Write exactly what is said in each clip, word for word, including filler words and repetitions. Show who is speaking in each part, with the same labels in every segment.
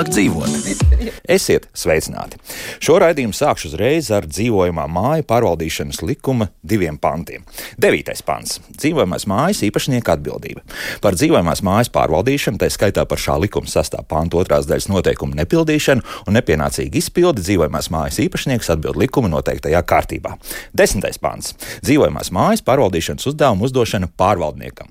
Speaker 1: vieglāk dzīvot. Esiet sveicināti! Šo raidījumu sākšu uzreiz ar dzīvojamā māju pārvaldīšanas likuma diviem pantiem. Devītais pants - dzīvojamās mājas īpašnieka atbildība. Par dzīvojamās mājas pārvaldīšanu, tā skaitā par šā likuma sastā panta otrās daļas noteikumu nepildīšanu un nepienācīgu izpildi, dzīvojamās mājas īpašnieks atbild likuma noteiktajā kārtībā. Desmitais pants - dzīvojamās mājas pārvaldīšanas uzdevumu uzdošana pārvaldniekam.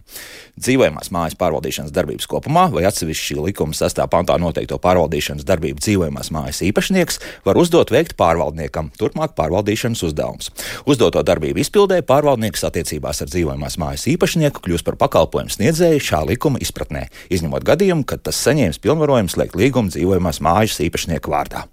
Speaker 1: Dzīvojamās mājas pārvaldīšanas darbības kopumā vai atsevišķi šī likuma sastā pantā noteikto pārvaldīšanas darbību dzīvojamās mājas īpašnieks var uzdot veikt pārvaldniekam turpmāk pārvaldīšanas uzdevumus. Uzdoto darbību izpildē pārvaldnieks attiecībās ar dzīvojamās mājas īpašnieku kļūst par pakalpojumu sniedzēju šā likuma izpratnē, izņemot gadījumu, kad tas saņēmis pilnvarojumu slēgt līgumu dzīvojamās mājas īpašnieka vārdā.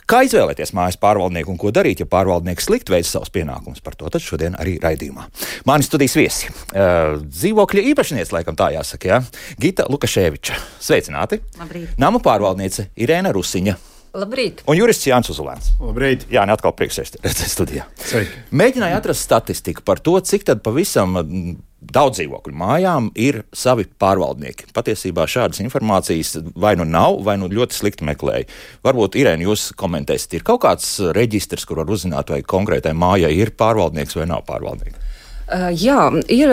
Speaker 1: Kā izvēlēties mājas pārvaldnieku un ko darīt, ja pārvaldnieks slikti veic savus pienākumus? Par to tad šodien arī raidījumā. Mani studijas viesi. Uh, dzīvokļa īpašniece, laikam tā jāsaka, jā. Gita Lukaševiča. Sveicināti.
Speaker 2: Labrīt.
Speaker 1: Nama pārvaldniece Irēna Rusiņa.
Speaker 2: Labrīt.
Speaker 1: Un jurists Jānis Uzulēns.
Speaker 3: Labrīt.
Speaker 1: Jā, ne atkal prieks redzēt studijā.
Speaker 3: Sveiki.
Speaker 1: Mēģināju atrast statistiku par to, cik tad pavisam daudz dzīvokļu mājām ir savi pārvaldnieki. Patiesībā šādas informācijas vai nu nav, vai nu ļoti slikti meklēja. Varbūt, Irēna, jūs komentēsiet, ir kaut kāds reģistrs, kur var uzzināt, vai konkrētai mājai ir pārvaldnieks vai nav pārvaldnieks?
Speaker 2: Uh, jā, ir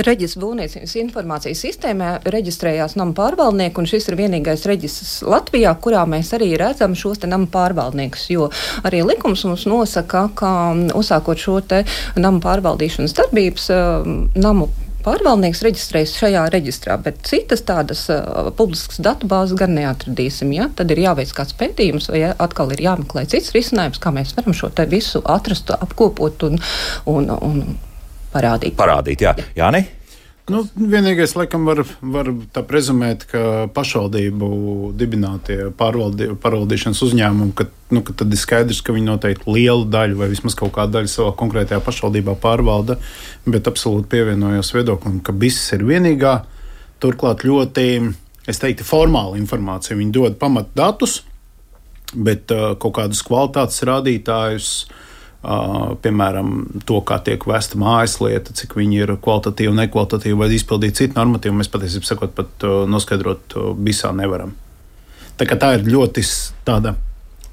Speaker 2: reģistra būvniecības informācijas sistēmā reģistrējās nama pārvaldnieki, un šis ir vienīgais reģistrs Latvijā, kurā mēs arī redzam šos te nama pārvaldniekus, jo arī likums mums nosaka, ka uzsākot šo te nama pārvaldīšanas darbības, uh, namu pārvaldnieks reģistrējas šajā reģistrā, bet citas tādas uh, publiskas datubāzes gan neatradīsim. Ja? Tad ir jāveic kāds pētījums, vai ja, atkal ir jāmeklē cits risinājums, kā mēs varam šo te visu atrast, apkopot un, un, un parādīt.
Speaker 1: Parādīt, jā. Jāni?
Speaker 3: Nu, vienīgais, laikam, var, var tā prezumēt, ka pašvaldību dibinātie pārvaldi, pārvaldīšanas uzņēmumi, ka, nu, ka tad ir skaidrs, ka viņi noteikti lielu daļu vai vismaz kaut kādu daļu savā konkrētajā pašvaldībā pārvalda, bet absolūti pievienojos viedoklim, ka viss ir vienīgā, turklāt ļoti, es teiktu, formāla informācija. Viņi dod pamatdatus, bet uh, kaut kādus kvalitātes rādītājus, Uh, piemēram, to, kā tiek vesta mājaslieta, cik viņi ir kvalitatīvi, nekvalitatīvi vai izpildīt citu normatīvu, mēs patiesībā sakot, pat uh, noskaidrot uh, visā nevaram. Tā kā tā ir ļoti tāda,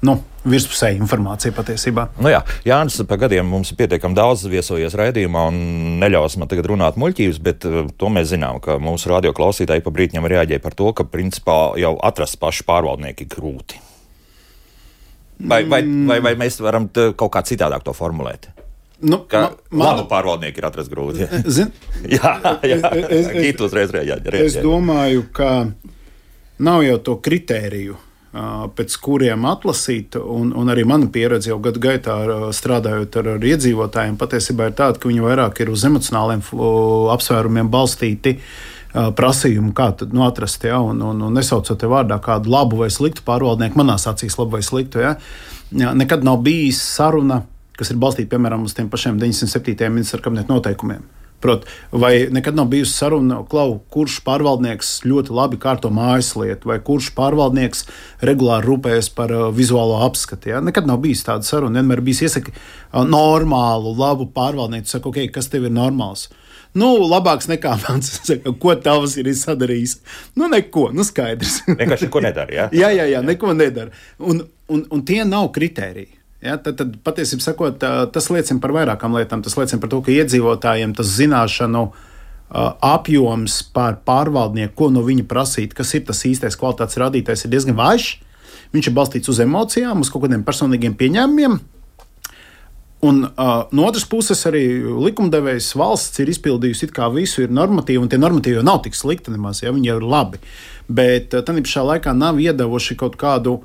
Speaker 3: nu, virspusēja informācija patiesībā.
Speaker 1: Nu jā, Jānis pa gadiem mums ir pietiekami daudz viesojies raidījumā un neļaus man tagad runāt muļķības, bet uh, to mēs zinām, ka mūsu radioklausītāji pa brītņam reaģēja par to, ka principā jau atrast pašu pārvaldnieki grūti. Vai, vai, vai, vai mēs varam kaut kā citādāk to formulēt?
Speaker 3: Nu,
Speaker 1: ka
Speaker 3: man,
Speaker 1: labu pārvaldnieku ir atrast grūti.
Speaker 3: Zin,
Speaker 1: jā, jā.
Speaker 3: Es, es,
Speaker 1: uzreiz reaģē,
Speaker 3: es domāju, ka nav jau to kritēriju, pēc kuriem atlasīt, un, un arī mana pieredze jau gadu gaitā strādājot ar, ar iedzīvotājiem, patiesībā ir tāda, ka viņi vairāk ir uz emocionāliem apsvērumiem balstīti prasījumu, kā tad nu, atrast, ja, un, un, un nesaucot te vārdā kādu labu vai sliktu pārvaldnieku, manās acīs labu vai sliktu. Ja. Ja, nekad nav bijis saruna, kas ir balstīta, piemēram, uz tiem pašiem deviņdesmit septītajiem ministra kabineta noteikumiem. Prot, vai nekad nav bijusi saruna, klau, kurš pārvaldnieks ļoti labi kārto mājaslietu, vai kurš pārvaldnieks regulāri rūpējas par uh, vizuālo apskatu. Ja? Nekad nav bijis tāda saruna. Vienmēr bijis iesaka uh, normālu, labu pārvaldnieku. Saka, ok, kas tev ir normāls? Nu, labāks nekā mans. Ko tavs ir sadarījis? Nu, neko, nu skaidrs.
Speaker 1: Vienkārši neko nedara, jā?
Speaker 3: jā, jā, jā, neko nedara. Un, un, un tie nav kritēriji. Ja, tad, tad patiesībā sakot, tas liecina par vairākām lietām. Tas liecina par to, ka iedzīvotājiem tas zināšanu uh, apjoms par pārvaldnieku, ko no viņa prasīt, kas ir tas īstais kvalitātes rādītājs, ir diezgan vājš. Viņš ir balstīts uz emocijām, uz kaut kādiem personīgiem pieņēmumiem. Un uh, no otras puses arī likumdevējs valsts ir izpildījusi it kā visu, ir normatīvi, un tie normatīvi jau nav tik slikti nemaz, ja viņi jau ir labi. Bet uh, tad pašā laikā nav iedevuši kaut kādu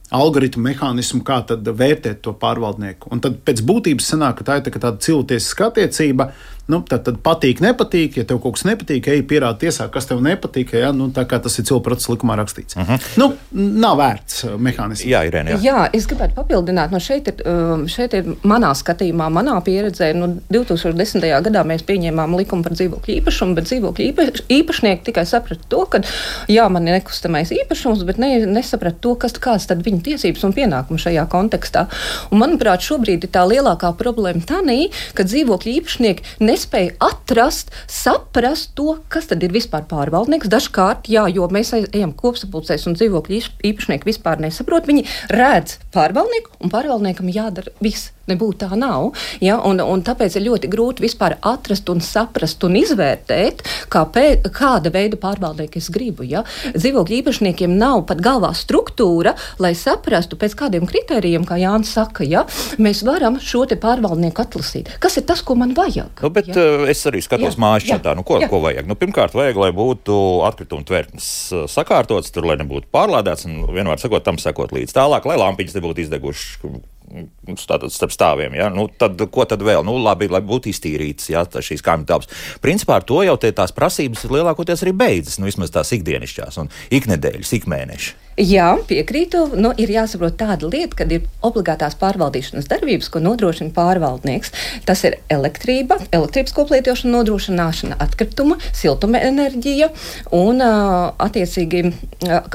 Speaker 3: algoritmu mehānismu, kā tad vērtēt to pārvaldnieku. Un tad pēc būtības sanāk, ka tā ir tā, tāda cilvēciska attiecība. Nu, tad, tad patīk, nepatīk. Ja tev kaut kas nepatīk, ej pierādi tiesā, kas tev nepatīk. Ja? Nu, tā kā tas ir cilvēku procesa likumā rakstīts. Uh-huh. Nu, nav vērts mehānisms.
Speaker 1: Jā, Irēna, jā.
Speaker 2: jā, es gribētu papildināt. No šeit, ir, šeit ir manā skatījumā, manā pieredzē. Nu, divi tūkstoši desmitajā gadā mēs pieņēmām likumu par dzīvokļu īpašumu, bet dzīvokļu īpaš, īpašnieki tikai saprata to, ka jā, man ir nekustamais īpašums, bet ne, nesaprata to, kas, kāds tad viņa tiesības un pienākumi šajā kontekstā. Un, manuprāt, šobrīd ir tā lielākā problēma tanī, ka dzīvokļu īpašnieki nespēja atrast, saprast to, kas tad ir vispār pārvaldnieks. Dažkārt, jā, jo mēs ejam kopsapulcēs un dzīvokļu īpašnieki vispār nesaprot, viņi redz pārvaldnieku un pārvaldniekam jādara viss. Nebūtu tā nav, ja, un, un tāpēc ir ļoti grūti vispār atrast un saprast un izvērtēt, kāpē, kāda veida pārvaldnieku es gribu. Ja. Dzīvokļu īpašniekiem nav pat galvā struktūra, lai saprastu pēc kādiem kritērijiem, kā Jānis saka, ja, mēs varam šo te pārvaldnieku atlasīt. Kas ir tas, ko man vajag?
Speaker 1: Nu, bet ja? Es arī skatos mājas čatā, nu ko, ko vajag? Nu, pirmkārt, vajag, lai būtu atkrituma tvertnes sakārtots, tur, lai nebūtu pārlādēts, un vienmēr sakot, tam sakot līdz tālāk, lai lampiņas nebūtu izdegušas. Tātad starp stāviem, ja? Nu, tad, ko tad vēl? Nu, labi, lai būtu iztīrīts, ja, šīs kaimiņu telpas. Principā ar to jau te tās prasības ir lielākoties arī beidzas, nu, vismaz tās ikdienišķās un iknedēļas, ikmēneši.
Speaker 2: Jā, piekrītu. Nu, ir jāsaprot tāda lieta, kad ir obligātās pārvaldīšanas darbības, ko nodrošina pārvaldnieks. Tas ir elektrība, elektrības koplietošana, nodrošināšana atkrituma, siltuma enerģija un attiecīgi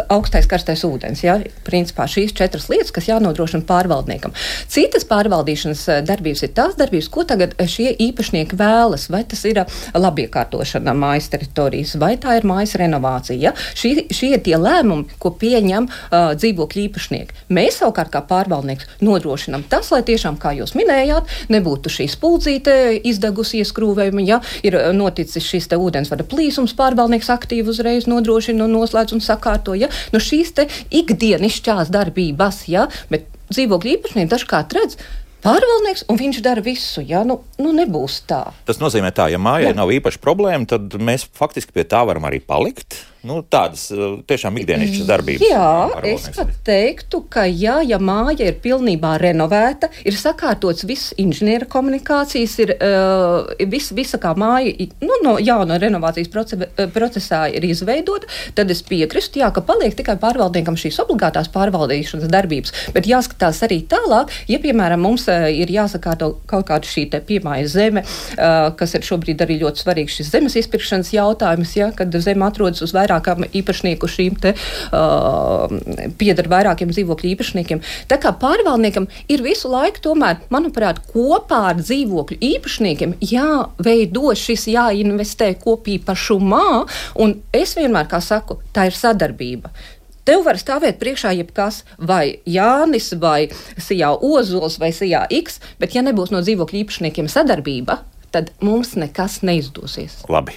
Speaker 2: augstais karstais ūdens. Ja? Principā šīs četras lietas, kas jānodrošina pārvaldniekam. Citas pārvaldīšanas darbības ir tās darbības, ko tagad šie īpašnieki vēlas. Vai tas ir labiekārtošana mājas teritorijas, vai tā ir mājas renovācija. Ja? Šie, šie ir tie lēmumi, ko pieņem Uh, dzīvokļu īpašnieki. Mēs savukārt kā pārvaldnieks nodrošinām tas, lai tiešām, kā jūs minējāt, nebūtu šī spuldzīte izdegusi ieskrūvējumi, ja ir noticis šis te ūdensvada plīsums, pārvaldnieks aktīvi uzreiz nodrošina un noslēdz un sakārto, ja, nu šīs te ikdienišķās darbības, ja, bet dzīvokļu īpašnieki dažkārt redz, pārvaldnieks, un viņš dara visu, ja? Nu, nu nebūs tā.
Speaker 1: Tas nozīmē tā, ja mājai nav īpaša problēma, tad mēs faktiski pie tā varam arī palikt. Nu, tādas tiešām ikdienišķas darbības.
Speaker 2: Jā, es pat teiktu, ka jā, ja māja ir pilnībā renovēta, ir sakārtots viss inženiera komunikācijas, ir uh, vis, visa kā māja, nu, no jauna renovācijas proce, procesā ir izveidota, tad es piekristu, jā, ka paliek tikai pārvaldniekam šīs obligātās pārvaldīšanas darbības, bet jāskatās arī tālāk, ja, piemēram, mums uh, ir jāsakārto kaut kāda šī te piemājas zeme, uh, kas ir šobrīd arī ļoti svarīgs šis zemes izpirkšanas jautājums, ja, kad zeme atrodas uz vairāk vairākam īpašnieku šīm te uh, pieder vairākiem dzīvokļu īpašniekiem. Tā kā pārvaldniekam ir visu laiku tomēr, manuprāt, kopā ar dzīvokļu īpašniekiem jāveido šis, jāinvestē kopīpašumā, un es vienmēr, kā saku, tā ir sadarbība. Tev var stāvēt priekšā jebkas, vai Jānis, vai Sijā Ozols, vai Sijā X, bet ja nebūs no dzīvokļu īpašniekiem sadarbība, tad mums nekas neizdosies.
Speaker 1: Labi.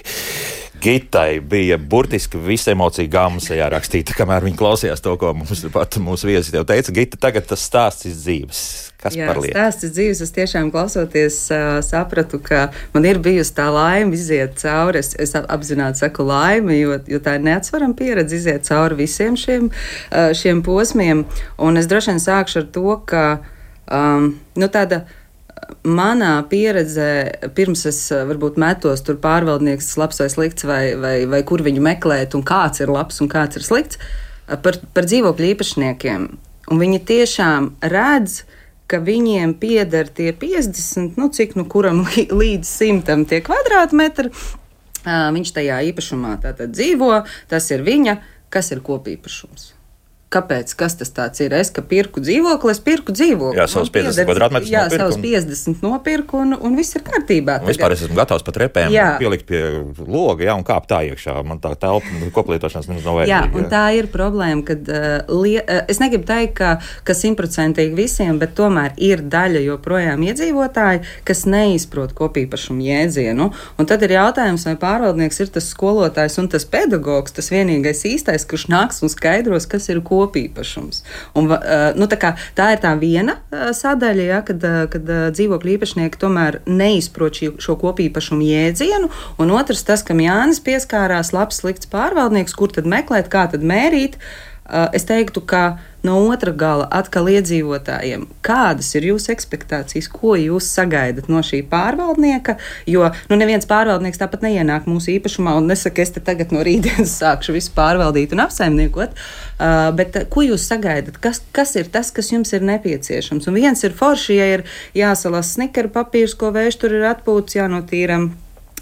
Speaker 1: Gitai bija burtiski visa emocija gāma sejā rakstīta, kamēr viņa klausījās to, ko mums pat mūsu viesis jau teica. Gita, tagad tas stāsts iz dzīves. Kas
Speaker 4: Jā,
Speaker 1: par lietu?
Speaker 4: Stāsts iz dzīves. Es tiešām klausoties uh, sapratu, ka man ir bijusi tā laime iziet cauri. Es, es apzināti saku laime, jo, jo tā ir neatsvarama pieredze iziet cauri visiem šiem, uh, šiem posmiem. Un es droši vien sākšu ar to, ka um, nu, tāda manā pieredzē, pirms es varbūt metos tur pārvaldnieks labs vai slikts, vai, vai, vai kur viņu meklēt, un kāds ir labs un kāds ir slikts, par, par dzīvokļu īpašniekiem. Un viņi tiešām redz, ka viņiem pieder tie piecdesmit, nu cik, nu kuram līdz simtam tie kvadrātmetri, viņš tajā īpašumā tātad dzīvo, tas ir viņa, kas ir kopīpašums. Kāpēc? Kas tas tāds ir? Es, ka pirku dzīvokli, es pirku dzīvokli.
Speaker 1: Jā, savus piecdesmit kvadrātmetrus
Speaker 4: jā,
Speaker 1: nopirku. Jā,
Speaker 4: savus piecdesmit nopirku, un, un viss ir kārtībā.
Speaker 1: Un vispār es esmu gatavs pat repēm jā. pielikt pie loga, jā, un kāpt tā iekšā. Man tā telpa koplietošanas mums nav vajadzīga.
Speaker 4: Jā, un jā. Tā ir problēma, kad uh, lie, uh, es negribu teikt, ka, ka simtprocentīgi visiem, bet tomēr ir daļa joprojām iedzīvotāji, kas neizprot kopīpašumu jēdzienu. Un tad ir jautājums, vai pārvaldnieks ir tas skolotājs un tas pedagogs, tas vienīgais īstais, kurš nāks un skaidros, kas ir kopīpašums. Un, uh, nu, tā, kā, tā ir tā viena uh, sadaļa, ja, kad, uh, kad uh, dzīvokļu īpašnieki tomēr neizprot šī, šo kopīpašumu jēdzienu, un otrs tas, kam Jānis pieskārās, labs, slikts pārvaldnieks, kur tad meklēt, kā tad mērīt. Uh, es teiktu, ka no otra gala atkal iedzīvotājiem, kādas ir jūsu ekspektācijas, ko jūs sagaidat no šī pārvaldnieka, jo nu, neviens pārvaldnieks tāpat neienāk mūsu īpašumā un nesaka, es te tagad no rītdienas sākšu visu pārvaldīt un apsaimniekot, uh, bet ko jūs sagaidat, kas, kas ir tas, kas jums ir nepieciešams? Un viens ir forši, ja ir jāsalas snikera papīrs, ko vējš tur ir atpūts, jānotīram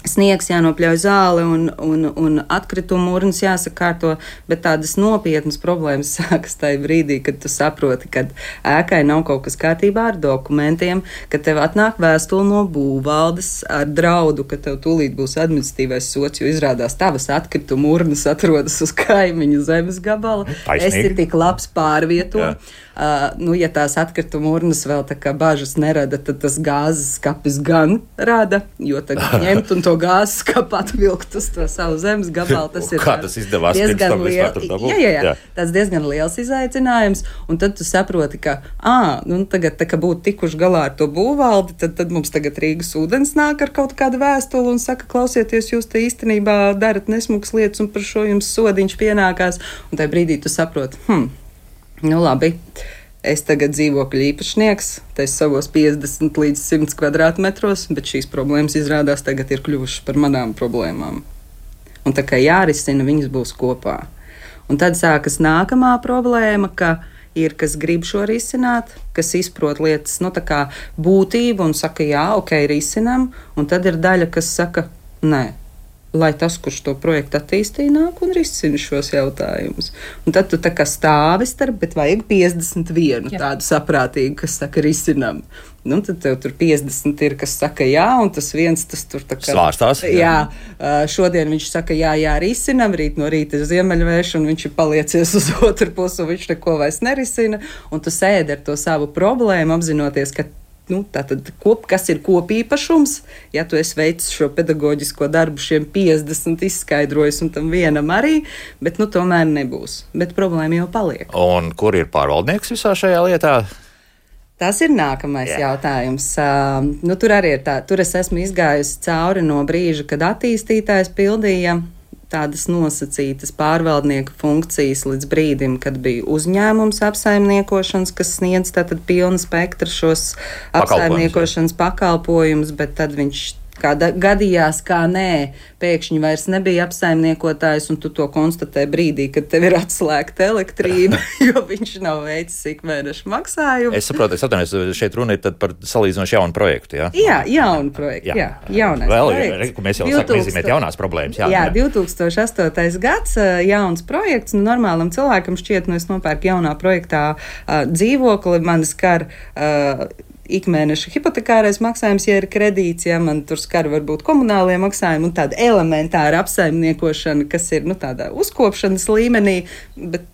Speaker 4: Sniegs jānopļauj zāle un, un, un atkritumu urnas jāsakārto, bet tādas nopietnas problēmas sākas tajā brīdī, kad tu saproti, ka ēkai nav kaut kas kārtībā ar dokumentiem, ka tev atnāk vēstule no būvvaldes ar draudu, ka tev tūlīt būs administratīvais sots, jo izrādās tavas atkritumu urnas atrodas uz kaimiņu zemes gabala.
Speaker 1: Taisnīgi.
Speaker 4: Esi tik labs pārvieto. Uh, nu, ja tās atkrituma urnas vēl tā kā bažas nerada, tad tas gāzes skapis gan rada, jo tad ņemt un to gāzes skapu atvilkt uz to savu zemes gabalu, tas ir
Speaker 1: Kā tas izdevās pirms tam vispār tur dabūt?
Speaker 4: Jā, jā, jā, jā. Tas diezgan liels izaicinājums, un tad tu saproti, ka, ā, nu, tagad, tā kā būtu tikuši galā ar to būvvaldi, tad, tad mums tagad Rīgas ūdens nāk ar kaut kādu vēstuli un saka, klausieties, jūs te īstenībā darat nesmukas lietas un par šo jums sodiņš pienākās, un tajā brīdī tu saproti, hm, nu labi, es tagad dzīvokļu īpašnieks, tas savos piecdesmit līdz simt kvadrātmetros, bet šīs problēmas izrādās tagad ir kļuvušas par manām problēmām. Un tā kā jārisina, viņas būs kopā. Un tad sākas nākamā problēma, ka ir, kas grib šo risināt, kas izprot lietas, nu tā kā būtību un saka, jā, ok, risinam, un tad ir daļa, kas saka, nē. Lai tas, kurš to projektu attīstīja, nāk un risina šos jautājumus. Un tad tu tā kā stāvi starp, bet vajag piecdesmit vienu jā. Tādu saprātīgu, kas saka, risinam. Nu, tad tev tur piecdesmit ir, kas saka jā, un tas viens, tas tur tā kā...
Speaker 1: Svārstās.
Speaker 4: Jā, šodien viņš saka jā, jā, risinam, rīt no rīta ir ziemeļvējš, un viņš ir paliecies uz otru pusi, un viņš neko vairs nerisina, un tu sēdi ar to savu problēmu, apzinoties, ka Nu, tātad, kop, kas ir kopīpašums, ja tu esi veicis šo pedagoģisko darbu šiem piecdesmit izskaidrojis un tam vienam arī, bet nu tomēr nebūs. Bet problēma jau paliek.
Speaker 1: Un kur ir pārvaldnieks visā šajā lietā?
Speaker 4: Tas ir nākamais Jā. jautājums. Uh, nu, tur arī ir tā, tur es esmu izgājusi cauri no brīža, kad attīstītājs pildīja tādas nosacītas pārvaldnieka funkcijas līdz brīdim, kad bija uzņēmums apsaimniekošanas, kas sniedz tātad pilnu spektru šos apsaimniekošanas pakalpojumus, bet tad viņš kā gadījās, kā nē, pēkšņi vairs nebija apsaimniekotājs, un tu to konstatē brīdī, kad tev ir atslēgta elektrība, jo viņš nav veicis ikmēneša maksājumu.
Speaker 1: Es saprotu, es atvainojos, šeit runa ir tad par salīdzinoši jaunu projektu, jā?
Speaker 4: Jā, jaunu projektu, jā, jā jaunais
Speaker 1: Vēl,
Speaker 4: projekts.
Speaker 1: Vēl, mēs jau sākam izzīmēt jaunās problēmas, jā.
Speaker 4: Jā, divi tūkstoši astotais gads, jauns projekts, nu normālam cilvēkam šķiet, nu es nopērku jaunā projektā uh, dzīvokli, man skar uh, ikmēneša hipotekārais maksājums, ja ir kredīts, ja man tur skar varbūt komunālie maksājumi un tāda elementāra apsaimniekošana, kas ir nu, tādā uzkopšanas līmenī, bet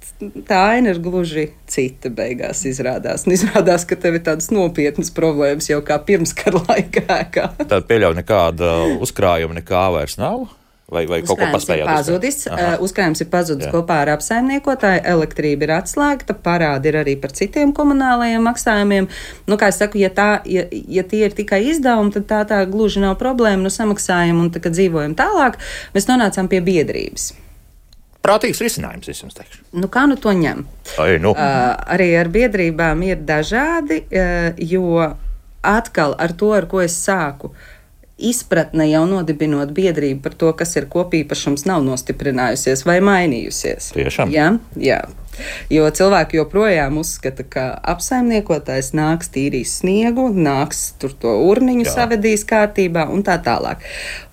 Speaker 4: tā aina ir gluži cita beigās izrādās. Un izrādās, ka tev ir tādas nopietnas problēmas jau kā pirms kara laikā.
Speaker 1: Tad pieļauj nekāda uzkrājuma nekā vairs nav? Vai, vai kaut ko paspējāt?
Speaker 4: Pazudis, uh, uzkrājums ir pazudis Jā. kopā ar apsaimniekotāju, elektrība ir atslēgta, parādi ir arī par citiem komunālajiem maksājumiem. Nu, kā es saku, ja, tā, ja, ja tie ir tikai izdevumi, tad tā, tā gluži nav problēma, nu samaksājam un tā, kad dzīvojam tālāk, mēs nonācām pie biedrības.
Speaker 1: Prātīgs risinājums, es jums teikšu.
Speaker 4: Nu, kā nu to ņem?
Speaker 1: Ai, nu.
Speaker 4: Uh, arī ar biedrībām ir dažādi, uh, jo atkal ar to, ar ko es sāku, izpratne jau nodibinot biedrību par to, kas ir kopīpašums, nav nostiprinājusies vai mainījusies.
Speaker 1: Tiešām?
Speaker 4: Jā, jā. Jo cilvēki joprojām uzskata, ka apsaimniekotājs nāks tīrīs sniegu, nāks tur to urniņu Jā. savedīs kārtībā un tā tālāk.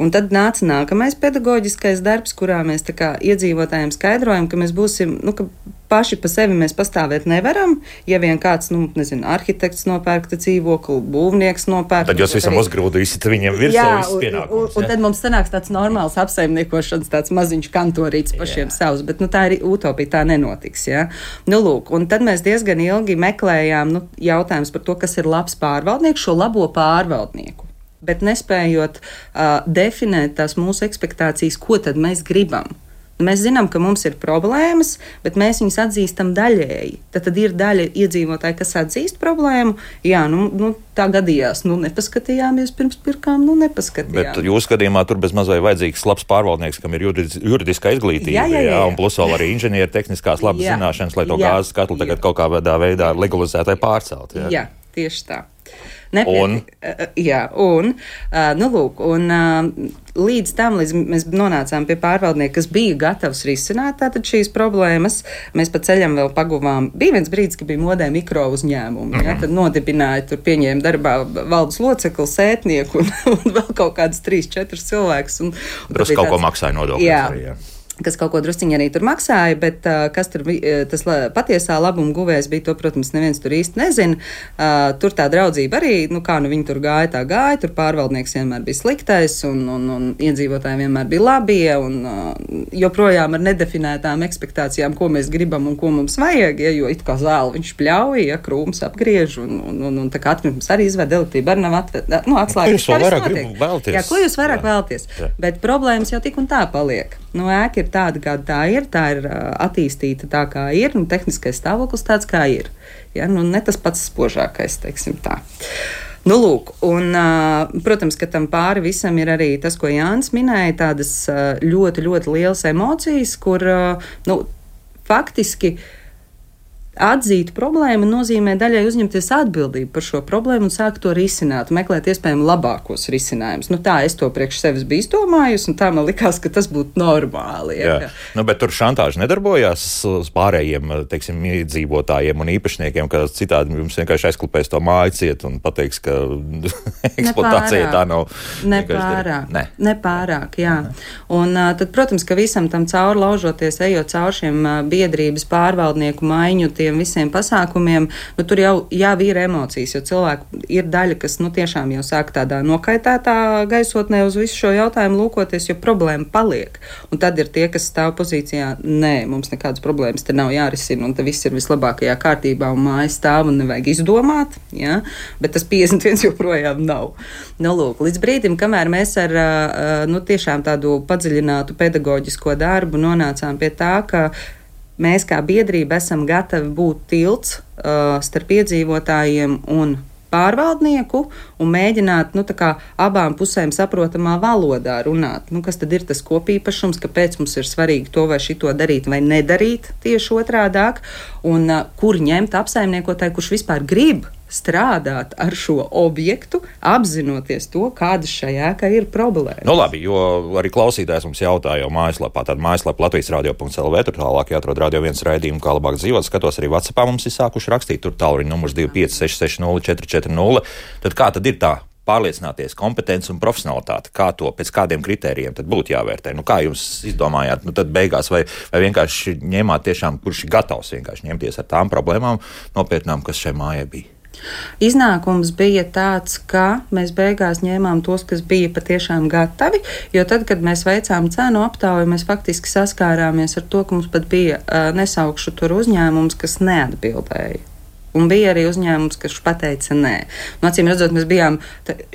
Speaker 4: Un tad nāca nākamais pedagoģiskais darbs, kurā mēs tā kā iedzīvotājiem skaidrojam, ka mēs būsim, nu, ka paši pa sevi mēs pastāvēt nevaram, ja vien kāds, nu, nezinu, arhitekts nopērkta dzīvokli, būvnieks nopērkta.
Speaker 1: Tad jūs visam arī uzgrūdīsiet viņiem virsū visus pienākumus.
Speaker 4: Un, un tad mums sanāks tāds normāls apsaimniekošanas, tāds maziņš kantorīts pašiem jā. savs, bet, nu, tā ir utopija, tā nenotiks, jā. Nu, lūk, un tad mēs diezgan ilgi meklējām, nu, jautājums par to, kas ir labs pārvaldnieks, šo labo pārvaldnieku. Bet nespējot uh, definēt tās mūsu ekspektācijas, ko tad mēs gribam. Mēs zinām, ka mums ir problēmas, bet mēs viņus atzīstam daļēji. Tad, tad ir daļa iedzīvotāji, kas atzīst problēmu. Jā, nu, nu tā gadījās. Nu, nepaskatījāmies pirms pirkām, nu nepaskatījāmies.
Speaker 1: Bet jūsu gadījumā tur bez mazai vajadzīgs labs pārvaldnieks, kam ir juridis, juridiskā izglītība. Jā, jā, jā, jā. Un plus vēl arī inženieri tehniskās labas jā. zināšanas, lai to jā. gāzes katlu tagad jā. kaut kādā veidā legalizētai pārcelt. Jā,
Speaker 4: jā tieši tā. Nepietiek, un? Jā, un, nu lūk, un līdz tam, līdz mēs nonācām pie pārvaldnieka, kas bija gatavs risināt tātad šīs problēmas, mēs pa ceļam vēl paguvām. Bija viens brīdis, ka bija modē mikro uzņēmumi, mm-hmm. ja, tad nodibināja, tur pieņēma darbā valdes locekli, sētnieku un, un vēl kaut kādus trīs, četrus cilvēkus. Un, un
Speaker 1: Drusku kaut tāds, ko maksāja nodokļus.
Speaker 4: Jā.
Speaker 1: Arī, jā.
Speaker 4: Kas kaut ko drusciņi arī tur maksāja, bet uh, kas tur bija, tas la, patiesā labuma guvējs bija, to, protams, neviens tur īsti nezina. Uh, tur tā draudzība arī, nu kā nu viņi tur gāja, tā gāja, tur pārvaldnieks vienmēr bija sliktais un, un, un iedzīvotāji vienmēr bija labie un uh, joprojām ar nedefinētām ekspektācijām, ko mēs gribam un ko mums vajag, ja, jo it kā zāli viņš pļauj, ja, krūms apgriež un, un, un, un tā kā atkritums arī izvēd, elektrība arī nav atved, nu, atslēgas.
Speaker 1: Ko jūs vairāk gribu vēlties?
Speaker 4: Jā, ko jūs vairāk Jā. vēlties? Jā. Bet problēmas jau tik un tā paliek. Nu, ēka ir tāda, kāda tā ir, tā ir uh, attīstīta tā, kā ir, un tehniskais stāvoklis tāds, kā ir. Ja? Nu, ne tas pats spožākais, teiksim tā. Nu, lūk, un, uh, protams, ka tam pāri visam ir arī tas, ko Jānis minēja, tādas uh, ļoti, ļoti lielas emocijas, kur, uh, nu, faktiski atzīt problēmu nozīmē daļai uzņemties atbildību par šo problēmu un sākt to risināt, meklēt iespējami labākos risinājumus. Nu, tā es to priekš sevis biju izdomājusi, un tā man likās, ka tas būtu normāli. Ja,
Speaker 1: Jā. Nu, bet tur šantāža nedarbojās uz pārējiem, teiksim, iedzīvotājiem un īpašniekiem, ka citādi jums vienkārši aizklupēs to māju ciet un pateiks, ka eksploatācija tā nav.
Speaker 4: Nepārāk. Ne. Nepārāk, jā. Un tad, protams, ka visam tam cauri laužoties, ejot cauri šiem biedrības pārvaldnieku maiņu, visiem pasākumiem, nu, tur jau, jau ir emocijas, jo cilvēki ir daļa, kas nu, tiešām jau sāk tādā nokaitētā gaisotnē uz visu šo jautājumu lūkoties, jo problēma paliek. Un tad ir tie, kas stāv pozīcijā, nē, mums nekādas problēmas te nav jārisina, un te viss ir vislabākajā kārtībā, un māja stāv un nevajag izdomāt, ja? Bet tas piecdesmit viens joprojām nav. Nu, lūk, līdz brīdim, kamēr mēs ar nu, tiešām tādu padziļinātu pedagoģisko darbu nonācām pie tā, ka mēs kā biedrība esam gatavi būt tilts uh, starp iedzīvotājiem un pārvaldnieku un mēģināt nu, tā kā abām pusēm saprotamā valodā runāt. Nu, kas tad ir tas kopīpašums, kāpēc mums ir svarīgi to vai šito darīt vai nedarīt tieši otrādāk, un uh, kur ņemt apsaimniekotāju, kurš vispār grib strādāt ar šo objektu, apzinoties to, kādas šajā ēkā ir problēmas.
Speaker 1: Nu labi, jo arī klausītājs mums jautāja jau mājaslapā, tad mājaslapa Latvijas radio punkts l v, tur tālāk jāatrod radio viens raidījumu, kā labāk dzīvot. Skatos, arī WhatsAppā mums ir sākuši rakstīt, tur tālruņa numurs divi pieci seši seši nulle četri četri nulle. Tad kā tad ir tā pārliecināties, kompetence un profesionalitāte, kā to, pēc kādiem kritērijiem tad būtu jāvērtē? Nu, kā jūs izdomājāt, nu tad beigās, vai, vai vienkārši ņēmāt tiešām, kurš ir gatavs vienkārši ņemties ar tām problēmām nopietnām, kas šai mājai bija?
Speaker 4: Iznākums bija tāds, ka mēs beigās ņēmām tos, kas bija patiešām gatavi, jo tad, kad mēs veicām cenu aptauju, mēs faktiski saskārāmies ar to, ka mums pat bija uh, nesaukšu tur uzņēmums, kas neatbildēja. Un bija arī uzņēmums, kas pateica nē. Un, acīm redzot, mēs bijām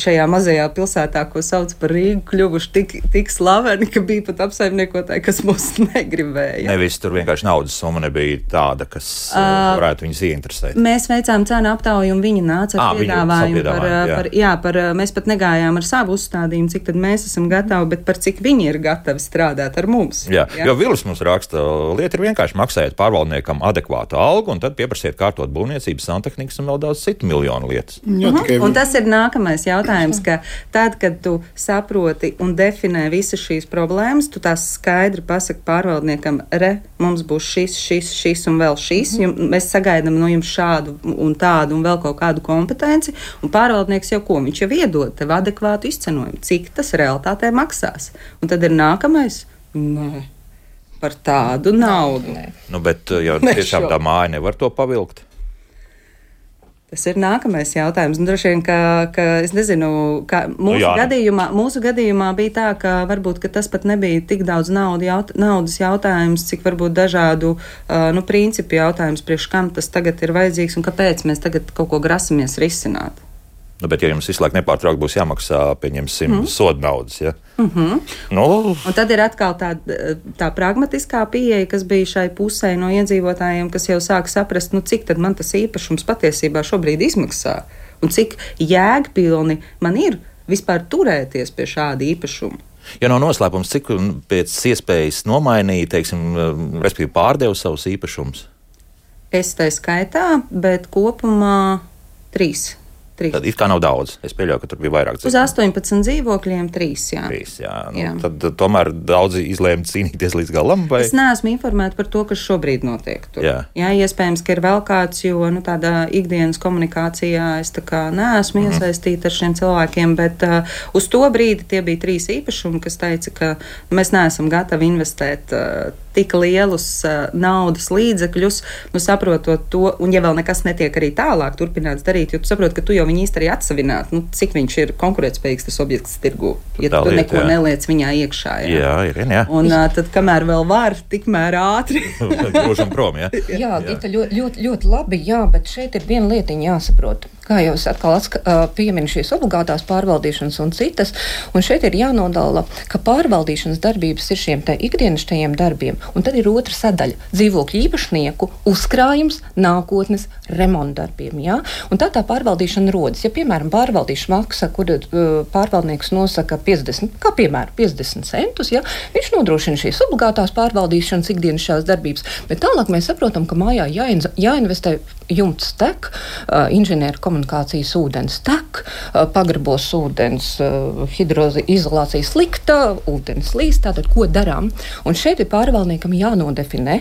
Speaker 4: šajā mazajā pilsētā, ko sauc par Rīgu, kļuvuši tik, tik slaveni, ka bija pat apsaimniekotāji, kas mūs negribēja.
Speaker 1: Nevis tur vienkārši naudas summa nebija tāda, kas uh, varētu viņus ieinteresēt.
Speaker 4: Mēs veicām cenu aptauju, un viņi nāca ar à, piedāvājumu. Par, jā. Par, jā, par, mēs pat negājām ar savu uzstādījumu, cik tad mēs esam gatavi, bet par cik viņi ir gatavi strādāt ar mums.
Speaker 1: Jā, jā. Jo Vilis mums raksta, lieta ir vienkārši maksājiet pārvaldniekam adekvātu algu, un tad pieprasiet kārtot būvniecību, santehnikas un vēl daudz citu miljonu lietas.
Speaker 3: Jā, tikai...
Speaker 4: Un tas ir nākamais jautājums, ka tad, kad tu saproti un definē visas šīs problēmas, tu tās skaidri pasaki pārvaldniekam, re, mums būs šis, šis, šis un vēl šis, jum, mēs sagaidām no jums šādu un tādu un vēl kaut kādu kompetenci, un pārvaldnieks jau ko, viņš jau iedod tev adekvātu izcenojumu, cik tas realitātē maksās. Un tad ir nākamais, nē, par tādu naudu. Nē.
Speaker 1: Nu, bet jau tiešām tā māja nevar to pavilkt.
Speaker 4: Tas ir nākamais jautājums. Un droši vien, ka, ka es nezinu, ka mūsu, nu, gadījumā, mūsu gadījumā bija tā, ka varbūt ka tas pat nebija tik daudz naudu jaut, naudas jautājums, cik varbūt dažādu uh, nu, principu jautājums, priekš kam tas tagad ir vajadzīgs un kāpēc mēs tagad kaut ko grasamies risināt.
Speaker 1: Nu, bet, ja jums visu laiku nepārtraukti būs jāmaksā, pieņemsim, mm. soda naudas, ja?
Speaker 4: Mm-hmm.
Speaker 1: Nu.
Speaker 4: Un tad ir atkal tā, tā pragmatiskā pieeja, kas bija šai pusē no iedzīvotājiem, kas jau sāk saprast, nu, cik tad man tas īpašums patiesībā šobrīd izmaksā un cik jēgpilni man ir vispār turēties pie šāda īpašuma.
Speaker 1: Ja nav noslēpums, cik pēc iespējas nomainīja, teiksim, respektīvi pārdeva savus īpašumus?
Speaker 4: Es tai skaitā, bet kopumā trīs. trīs.
Speaker 1: Tad it kā nav daudz. Es pieļauju, ka tur bija vairāk
Speaker 4: dzīvokļu. Uz astoņpadsmit dzīvokļiem trīs, jā.
Speaker 1: Trīs, jā. Nu,
Speaker 4: jā.
Speaker 1: Tad, tad tomēr daudzi izlēma cīnīties līdz galam? Vai?
Speaker 4: Es neesmu informēta par to, kas šobrīd notiek tur. Jā. Jā, iespējams, ka ir vēl kāds, jo nu, tādā ikdienas komunikācijā es tā kā neesmu mm. iesaistīta ar šiem cilvēkiem, bet uh, uz to brīdi tie bija trīs īpašumi, kas teica, ka mēs neesam gatavi investēt uh, tik lielus uh, naudas līdzekļus, nu saprotot to, un ja vēl nekas netiek arī tālāk turpināts darīt, jo tu saproti, ka tu jau viņu īsti arī atsavināt, nu cik viņš ir konkurētspējīgs tas objekts tirgū, ja
Speaker 1: tā
Speaker 4: tu
Speaker 1: lieta,
Speaker 4: neko
Speaker 1: jā.
Speaker 4: neliec viņā iekšā. Jā,
Speaker 1: jā ir, jā.
Speaker 4: Un uh, tad, kamēr vēl var, tikmēr ātri.
Speaker 1: Grūžam prom, jā.
Speaker 2: jā, jā. Gita, ļoti, ļoti, ļoti labi, jā, bet šeit ir viena lietiņa jāsaprot. Kā jau es atkal atska, pieminu šīs obligātās pārvaldīšanas un citas, un šeit ir jānodala, ka pārvaldīšanas darbības ir šiem te ikdienišķajiem darbiem, un tad ir otra sadaļa - dzīvokļu īpašnieku uzkrājums nākotnes remontdarbiem, jā? Un tā tā pārvaldīšana rodas. Ja, piemēram, pārvaldīšana maksa, kur uh, pārvaldnieks nosaka piecdesmit, kā piemēram, piecdesmit centus, jā, viņš nodrošina šīs obligātās pārvaldīšanas ikdienišķās darbības, bet tālāk mēs saprotam, ka mājā jāin, jāinvestē jumts tek, uh, inženieru komunikācijas ūdens tek, uh, pagrabos ūdens, uh, hidroizolācija slikta, ūdens līst, tātad ko darām? Un šeit ir pārvaldniekam jānodefinē,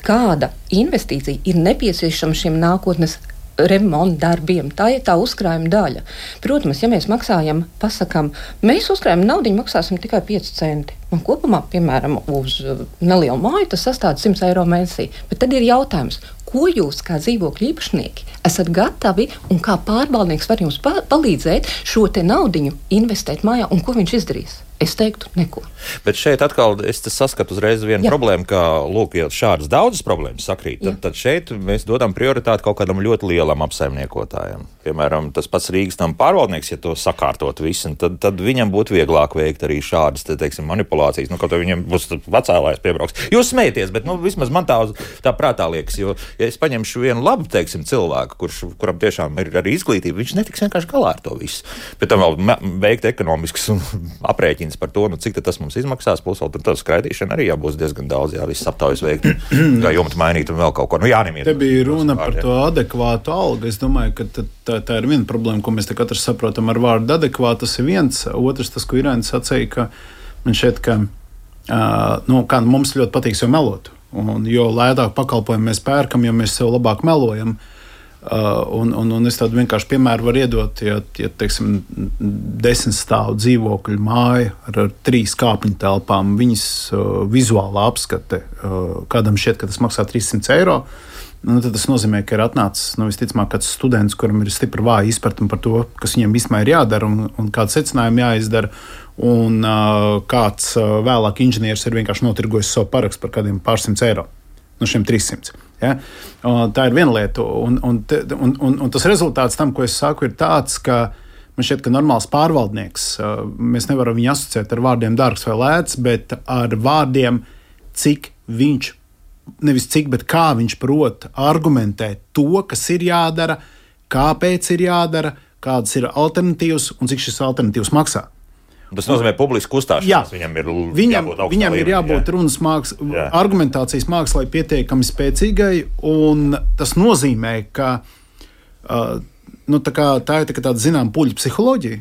Speaker 2: kāda investīcija ir nepieciešama šiem nākotnes remonta darbiem. Tā ir tā uzkrājuma daļa. Protams, ja mēs maksājam, pasakām, mēs uzkrājuma naudiņu maksāsim tikai pieci centi. Un kopumā, piemēram, uz nelielu māju tas sastāv simt eiro mēnesī. Bet tad ir jautājums, ko jūs kā dzīvokļu īpašnieki esat gatavi un kā pārvaldnieks var jums pa- palīdzēt šo te naudiņu investēt mājā un ko viņš izdarīs? Es teiktu, neko.
Speaker 1: Bet šeit atkal es saskatu uzreiz vienu
Speaker 2: Jā.
Speaker 1: problēmu, ka, lūk, ja šādas daudzas problēmas sakrīt, tad, tad šeit mēs dodam prioritāti kaut kādam ļoti lielam apsaimniekotājam. Piemēram, tas pats Rīgas nama pārvaldnieks, ja to sakārtot visu, tad, tad viņam būtu vieglāk veikt arī šādas, te, teiksim, manipulācijas. Nu, kaut kā viņam būs vecālājs piebrauks. Jūs smēties, bet, nu, vismaz man tā, tā prātā liekas, jo, ja es paņemšu vienu labu, teiksim, cilvēku, kurš, kuram tiešām ir arī izglītība, viņš netiks vienkārši galā ar to visu. Bet tam vēl me- veikt ekonomisks un aprēķins par to, nu, cik tas mums izmaksās, plus vēl tā skraidīšana arī jābūs diezgan daudz, jā, viss aptaujas veikt, kā jumtu mainīt un vēl kaut ko. Nu, jānemiet.
Speaker 3: Te bija runa par to adekvātu algu. Es domāju, ka tā, tā, tā ir viena problēma, ko mēs te katrs saprotam ar vārdu adekvāti. Tas ir viens. Otrs, tas, ko Irēna sacīja, ka man šķiet, ka uh, nu, kā, mums ļoti patīk sev melot. Un jo lētāk pakalpojumu mēs pērkam, jo mēs sev labāk melojam. Uh, un, un, un es tādu vienkārši piemēru varu iedot, ja, ja teiksim, desmit stāvu dzīvokļu māja ar, ar trīs kāpņu telpām, viņas uh, vizuālā apskate, uh, kādam šķiet, ka tas maksā trīssimt eiro, nu, tad tas nozīmē, ka ir atnācis, nu, visticamāk, kāds students, kuram ir stipri vāja izpratne par to, kas viņam vispār ir jādara un, un kāds secinājumi jāizdara, un uh, kāds uh, vēlāk inženieris ir vienkārši notirgojis savu parakstu par kādiem pārsimts eiro no šiem trīssimts. Ja? Tā ir viena lieta, un, un, un, un, un tas rezultāts tam, ko es saku, ir tāds, ka man šķiet, ka normāls pārvaldnieks, mēs nevaram viņu asociēt ar vārdiem dārgs vai lēts, bet ar vārdiem, cik viņš, nevis cik, bet kā viņš prot argumentēt to, kas ir jādara, kāpēc ir jādara, kādas ir alternatīvas un cik šis alternatīvas maksā.
Speaker 1: Tas nozīmē publisku uzstāšanās. Viņam ir
Speaker 2: viņam,
Speaker 1: jābūt,
Speaker 2: viņam ir jābūt
Speaker 3: runas māks, argumentācijas mākslai pietiekami spēcīgai, un tas nozīmē, ka uh, nu, tā, kā, tā ir tā, tāda zināma puļu psiholoģija.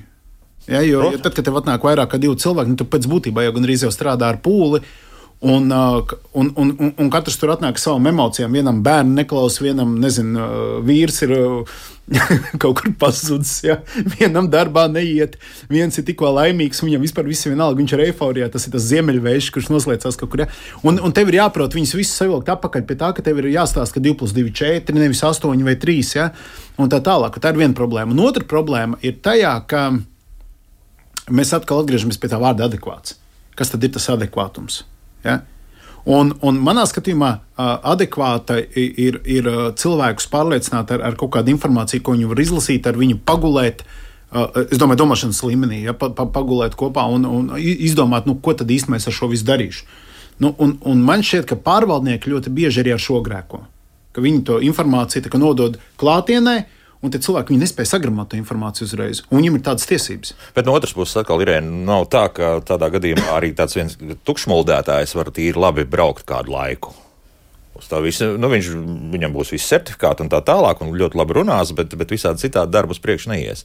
Speaker 3: Ja, jo ja tad, kad tev atnāk vairāk kā divi cilvēki, nu, tu pēc būtībā jau gandrīz jau strādā ar pūli, un, uh, un, un, un, un katrs tur atnāk ar savām emocijām. Vienam bērnu neklausa, vienam, nezinu, uh, vīrs ir uh, kaut kur pazudis, ja? Vienam darbā neiet, viens ir tikko laimīgs, viņam vispār viss ir vienalga, viņš ir eiforijā, tas ir tas ziemeļvējš, kurš noslēdzās kaut kur. Ja? Un, un tev ir jāprot viņus visus savilkt apakaļ pie tā, ka tev ir jāstāsta, ka divi plus divi ir četri, nevis astoņi vai trīs, ja? Un tā tālāk. Tā ir viena problēma. Un otra problēma ir tajā, ka mēs atkal atgriežamies pie tā vārda adekvāts. Kas tad ir tas adekvātums? Ja? Un, un manā skatījumā adekvāta ir, ir cilvēkus pārliecināt ar, ar kaut kādu informāciju, ko viņi var izlasīt, ar viņu pagulēt, es domāju, domāšanas līmenī, ja, pa, pa, pagulēt kopā un, un izdomāt, nu, ko tad īstenībā es ar šo visu darīšu. Nu, un, un man šķiet, ka pārvaldnieki ļoti bieži arī ar šo grēko, ka viņi to informāciju tā, nodod klātienē, un tie cilvēki viņi nespēja sagramot to informāciju uzreiz, un viņiem ir tādas tiesības.
Speaker 1: Bet no otras puses, atkal, Irēna, nav tā, ka tādā gadījumā arī tāds viens tukšmuldētājs var tīri labi braukt kādu laiku. Uz tā visa, nu, viņš, viņam būs visi certifikāti un tā tālāk, un ļoti labi runās, bet, bet visādi citādi darbu uz priekšu neies.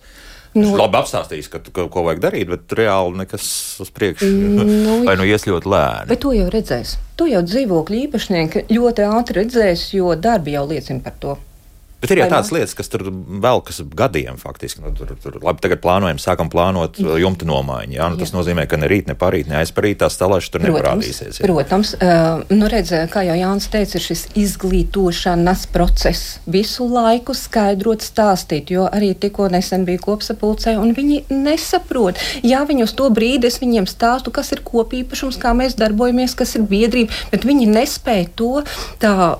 Speaker 1: Nu, labi apstāstījis, ka, ka, ko vajag darīt, bet reāli nekas uz priekšu, nu, vai nu ies ļoti lēni.
Speaker 2: Bet to jau redzēs. To jau dzīvokļu īpašnieki ļoti ātri redzēs, jo darbi jau liecina par to.
Speaker 1: Bet ir jau tādas lietas, kas tur velkas gadiem faktiski. Nu, tur, tur, labi, tagad plānojam, sākam plānot jumta nomaiņu. Jā? Nu, tas jā. nozīmē, ka ne rīt, ne parīt, ne aizparīt tās stalēšas tur neparādīsies. Jā.
Speaker 2: Protams, uh, nu redz, kā jau Jānis teica, ir šis izglītošanas process. Visu laiku skaidrot, stāstīt, jo arī tikko nesen bija kopsapulcē, un viņi nesaprot. Jā, viņi uz to brīdi es viņiem stāstu, kas ir kopīpašums, kā mēs darbojamies, kas ir biedrība, bet viņi nespēja to tā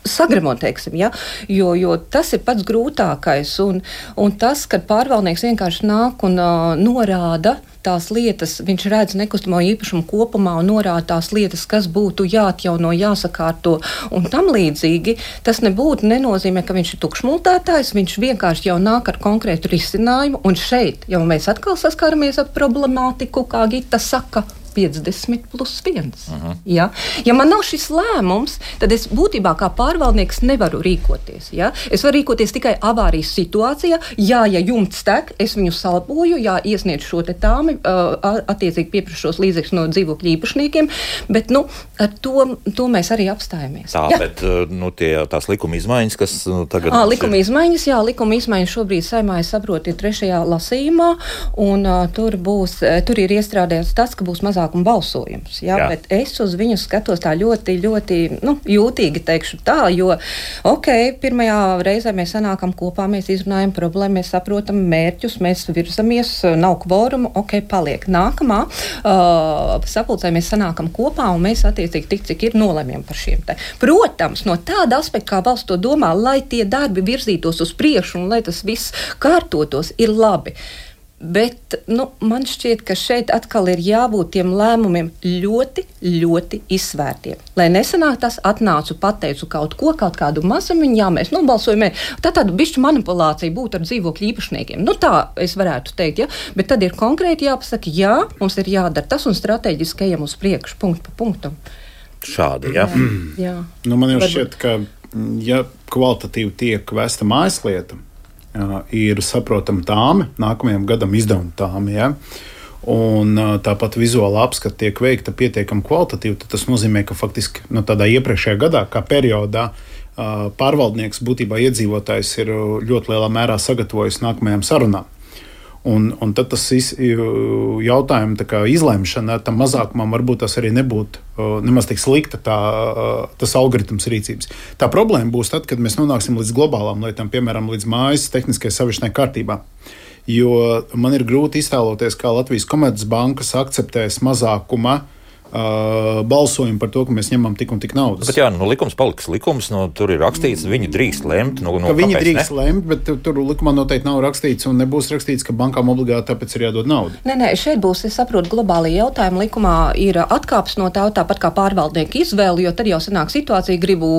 Speaker 2: sagremot, teiksim, ja? jo, jo tas ir pats grūtākais. Un, un tas, kad pārvaldnieks vienkārši nāk un uh, norāda tās lietas, viņš redz nekustamo īpašumu kopumā un norāda tās lietas, kas būtu jāatjauno, jāsakārto un tam līdzīgi, tas nebūtu nenozīmē, ka viņš ir tukšmultētājs, viņš vienkārši jau nāk ar konkrētu risinājumu, un šeit jau mēs atkal saskaramies ar problemātiku, kā Gita saka, piecdesmit plus viens. Uh-huh. Ja? Ja man nav šis lēmums, tad es būtībā kā pārvaldnieks nevaru rīkoties. Ja? Es varu rīkoties tikai avārijas situācijā. Jā, ja jumts tek, es viņu salboju, jā, iesniedzu šo te tāmi, uh, attiecīgi pieprasu šos līdzekļus no dzīvokļu īpašniekiem, bet, nu, ar to, to mēs arī apstājamies.
Speaker 1: Tā, ja? bet, nu, tie, tās likuma izmaiņas, kas nu, tagad...
Speaker 2: À, likuma izmaiņas, jā, likuma izmaiņas šobrīd Saeimā, es saprotu, ir trešajā lasījumā, un uh, tur būs, tur ir iestrādāts tas, ka būs mazāk un balsojums. Jā, jā. Bet es uz viņu skatos tā ļoti, ļoti nu, jūtīgi, teikšu tā, jo, ok, pirmajā reizē mēs sanākam kopā, mēs izrunājam problēmu, mēs saprotam mērķus, mēs virzamies, nav kvorumu, ok, paliek. Nākamā uh, sapulcē mēs sanākam kopā un mēs attiecīgi tik, cik ir nolemjam par šiem te. Protams, no tāda aspekta, kā valsts to domā, lai tie darbi virzītos uz priekšu un lai tas viss kārtotos, ir labi. Bet nu, man šķiet, ka šeit atkal ir jābūt tiem lēmumiem ļoti, ļoti izsvērtiem. Lai nesanāk tas, atnācu, pateicu kaut ko, kaut kādu mazumiņu, jā, mēs nobalsojam. Tā tāda bišķu manipulācija būtu ar dzīvokļu īpašniekiem. Nu tā es varētu teikt, ja? Bet tad ir konkrēti jāpasaka, jā, mums ir jādara tas un strateģiski ejam uz priekšu, punktu pa punktam.
Speaker 1: Šādi, jā.
Speaker 2: jā, jā.
Speaker 3: Nu, man jau šķiet, ka ja kvalitatīvi tiek vesta mājaslieta, ir saprotama tāme, nākamajam gadam izdevuma tāme, ja? Un tāpat vizuāla apskata tiek veikta pietiekami kvalitatīvi, tad tas nozīmē, ka faktiski no tādā iepriekšējā gadā, kā periodā, pārvaldnieks būtībā iedzīvotājs ir ļoti lielā mērā sagatavojis nākamajām sarunām. Un, un tad tas jautājums, tā kā izlemšana tam mazākumam, varbūt tas arī nebūtu nemaz tik slikta tā, tas algoritms rīcības. Tā problēma būs tad, kad mēs nonāksim līdz globālām lietām, piemēram, līdz mājas tehniskai savišanai kārtībā. Jo man ir grūti iztēloties, kā Latvijas Komercbankas akceptēs mazākuma Uh, balsojumu par to, ka mēs ņemam tik un tik naudas.
Speaker 1: Bet jā, nu, likums paliks likums, nu, tur ir rakstīts, viņi drīkst lemt. Nu, nu,
Speaker 3: viņi drīkst
Speaker 1: ne?
Speaker 3: lemt, bet tur likumā noteikti nav rakstīts un nebūs rakstīts, ka bankām obligāti tāpēc ir jādod naudu.
Speaker 2: Nē, nē, šeit būs, es saprotu, globāli jautājumi. Likumā ir atkāps no tā, tāpat kā pārvaldnieku izvēli, jo tad jau sanāk situācija, gribu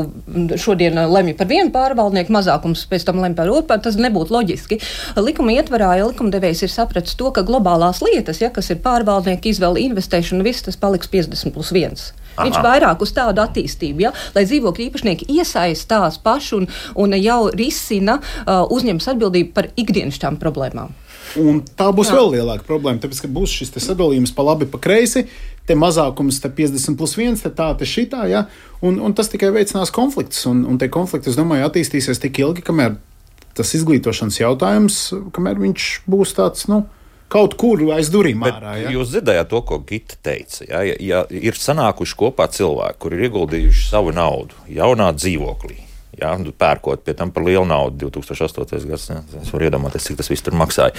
Speaker 2: šodien lemju par vienu pārvaldnieku, mazākums pēc tam lemj par otru, tas nebūtu loģiski. Likuma ietvarā, ja likumdevējs ir sapratis to, ka globālās lietas, ja, kas ir pārvaldnieku izvēle, investēšana, viss tas paliks piecdesmit plus viens. Aha. Viņš vairāk uz tādu attīstību, ja? Lai dzīvokļu īpašnieki iesaistās paši un, un jau risina, uh, uzņemas atbildību par ikdienišķām problēmām.
Speaker 3: Un tā būs
Speaker 2: Jā.
Speaker 3: vēl lielāka problēma, tāpēc, ka būs šis sadalījums pa labi, pa kreisi, te mazākums te piecdesmit plus viens, te tā, te šitā, ja? un, un tas tikai veicinās konfliktus, un, un tie konflikti, es domāju, attīstīsies tik ilgi, kamēr tas izglītošanas jautājums, kamēr viņš būs tāds, nu, kaut kur aiz durvīm ārā. Ja?
Speaker 1: Jūs dzirdējāt to, ko Gita teica. Ja? Ja, ja ir sanākuši kopā cilvēki, kuri ir ieguldījuši savu naudu jaunā dzīvoklī, ja? Pērkot pie tam par lielu naudu, divi tūkstoši astotais gads, ja? Es varu iedomāties, cik tas viss tur maksāja.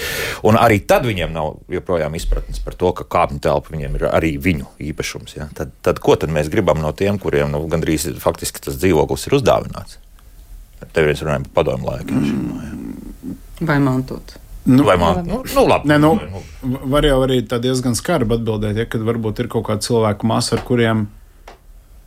Speaker 1: Un arī tad viņiem nav joprojām izpratnes par to, ka kāpņu telpa viņiem ir arī viņu īpašums. Ja? Tad, tad ko tad mēs gribam no tiem, kuriem nu, gandrīz faktiski tas dzīvoklis ir uzdāvināts? Tev viens runājam par padomu laiku. Mm.
Speaker 4: Vai mantot?
Speaker 3: Nu,
Speaker 1: Vai man? Nu, nu, labi.
Speaker 3: Ne, nu, var jau arī tā diezgan skarbi atbildēt, ja, kad varbūt ir kaut kāda cilvēku masa, ar kuriem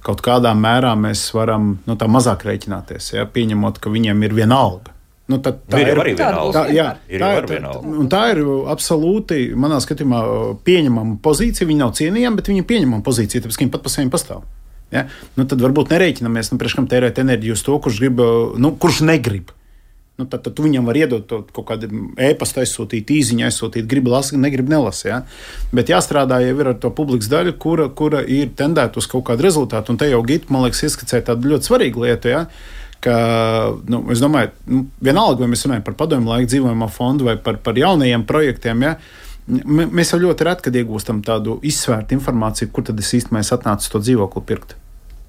Speaker 3: kaut kādā mērā mēs varam nu, tā mazāk rēķināties, ja, pieņemot, ka viņiem ir viena alga. Nu, tā, tā
Speaker 1: ir,
Speaker 3: ir
Speaker 1: arī viena alga.
Speaker 3: Tā, jā,
Speaker 1: ir
Speaker 3: tā,
Speaker 1: arī
Speaker 3: tā,
Speaker 1: viena alga.
Speaker 3: Un tā ir absolūti, manā skatījumā, pieņemama pozīcija. Viņi nav cienījami, bet viņi ir pieņemama pozīcija, tāpēc, ka viņi pat pa saviem pastāv. Ja? Nu, tad varbūt nerēķinamies, nu, priekš kam tērēt enerģiju uz to, kurš, grib, nu, kurš negrib. Nu, tad, tad tu viņam var iedot to, kaut kādu e-pastu, aizsūtīt īziņu, aizsūtīt, grib lasīt, negrib nelasīt. Ja? Bet jāstrādā jau ir ar to publikas daļu, kura, kura ir tendēta uz kaut kādu rezultātu. Un te jau Gita, man liekas, ieskicēja tādu ļoti svarīgu lietu. Ja? Ka, nu, es domāju, nu, vienalga, vai mēs runājam par padomju laiku dzīvojamā fondu vai par, par jaunajiem projektiem, ja? M- mēs jau ļoti reti, kad iegūstam tādu izsvērtu informāciju, kur tad es īstenībā atnācu to dzīvokli pirkt.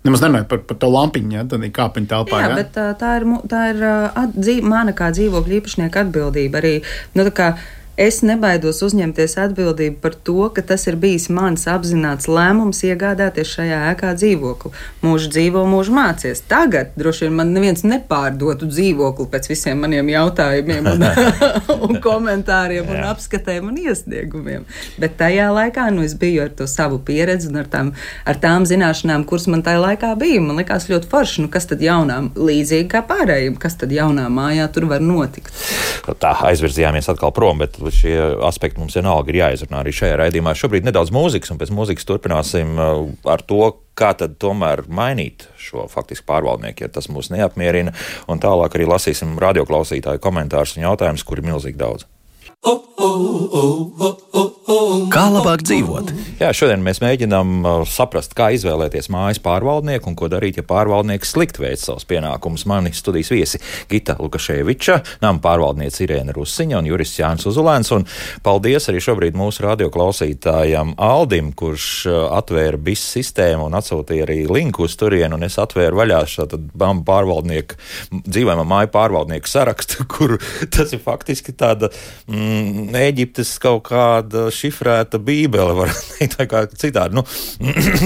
Speaker 3: Nemaz nerunāju par, par to lampiņu, ja, tad ir kāpiņu telpā.
Speaker 4: Jā,
Speaker 3: ja?
Speaker 4: bet tā, tā ir, tā ir at, dzīv, mana kā dzīvokļa īpašnieka atbildība arī. Nu, tā kā es nebaidos uzņemties atbildību par to, ka tas ir bijis mans apzināts lēmums iegādāties šajā ēkā dzīvokli. Mūžu dzīvo, mūžu mācies. Tagad droši vien man neviens nepārdotu dzīvokli pēc visiem maniem jautājumiem un, un komentāriem un apskatēm un iesniegumiem. Bet tajā laikā nu, es biju ar to savu pieredzi un ar tām, ar tām zināšanām, kuras man tajā laikā bija. Man likās ļoti forši, nu kas tad jaunām līdzīgi kā pārējiem, kas tad jaunā mājā tur var notikt.
Speaker 1: Tā aizvirzījāmies atkal prom, bet šie aspekti mums vienalga ir jāizrunā arī šajā raidījumā. Šobrīd nedaudz mūzikas, un pēc mūzikas turpināsim ar to, kā tad tomēr mainīt šo faktiski pārvaldnieku, ja tas mūs neapmierina, un tālāk arī lasīsim radioklausītāju komentārus un jautājumus, kuri ir milzīgi daudz.
Speaker 5: Kā labāk dzīvot?
Speaker 1: Jā, šodien mēs mēģinām saprast, kā izvēlēties mājas pārvaldnieku un ko darīt, ja pārvaldnieks slikti veic savus pienākumus. Mani studijas viesi Gita Lukaševiča, nama pārvaldniece Irēna Rusiņa un jurists Jānis Uzulēns. Un paldies arī šobrīd mūsu radioklausītājam Aldim, kurš atvēra B I S sistēmu un atsūtīja arī linku uz turienu, un es atvēru vaļā šādu pārvaldnieku, dzīvojamā māju pārvaldnieku sarakstu, kur tas ir faktiski tāda mm, Ēģiptes kaut kāda šifrēta bībele, var teikt, vai kā citādi. Nu,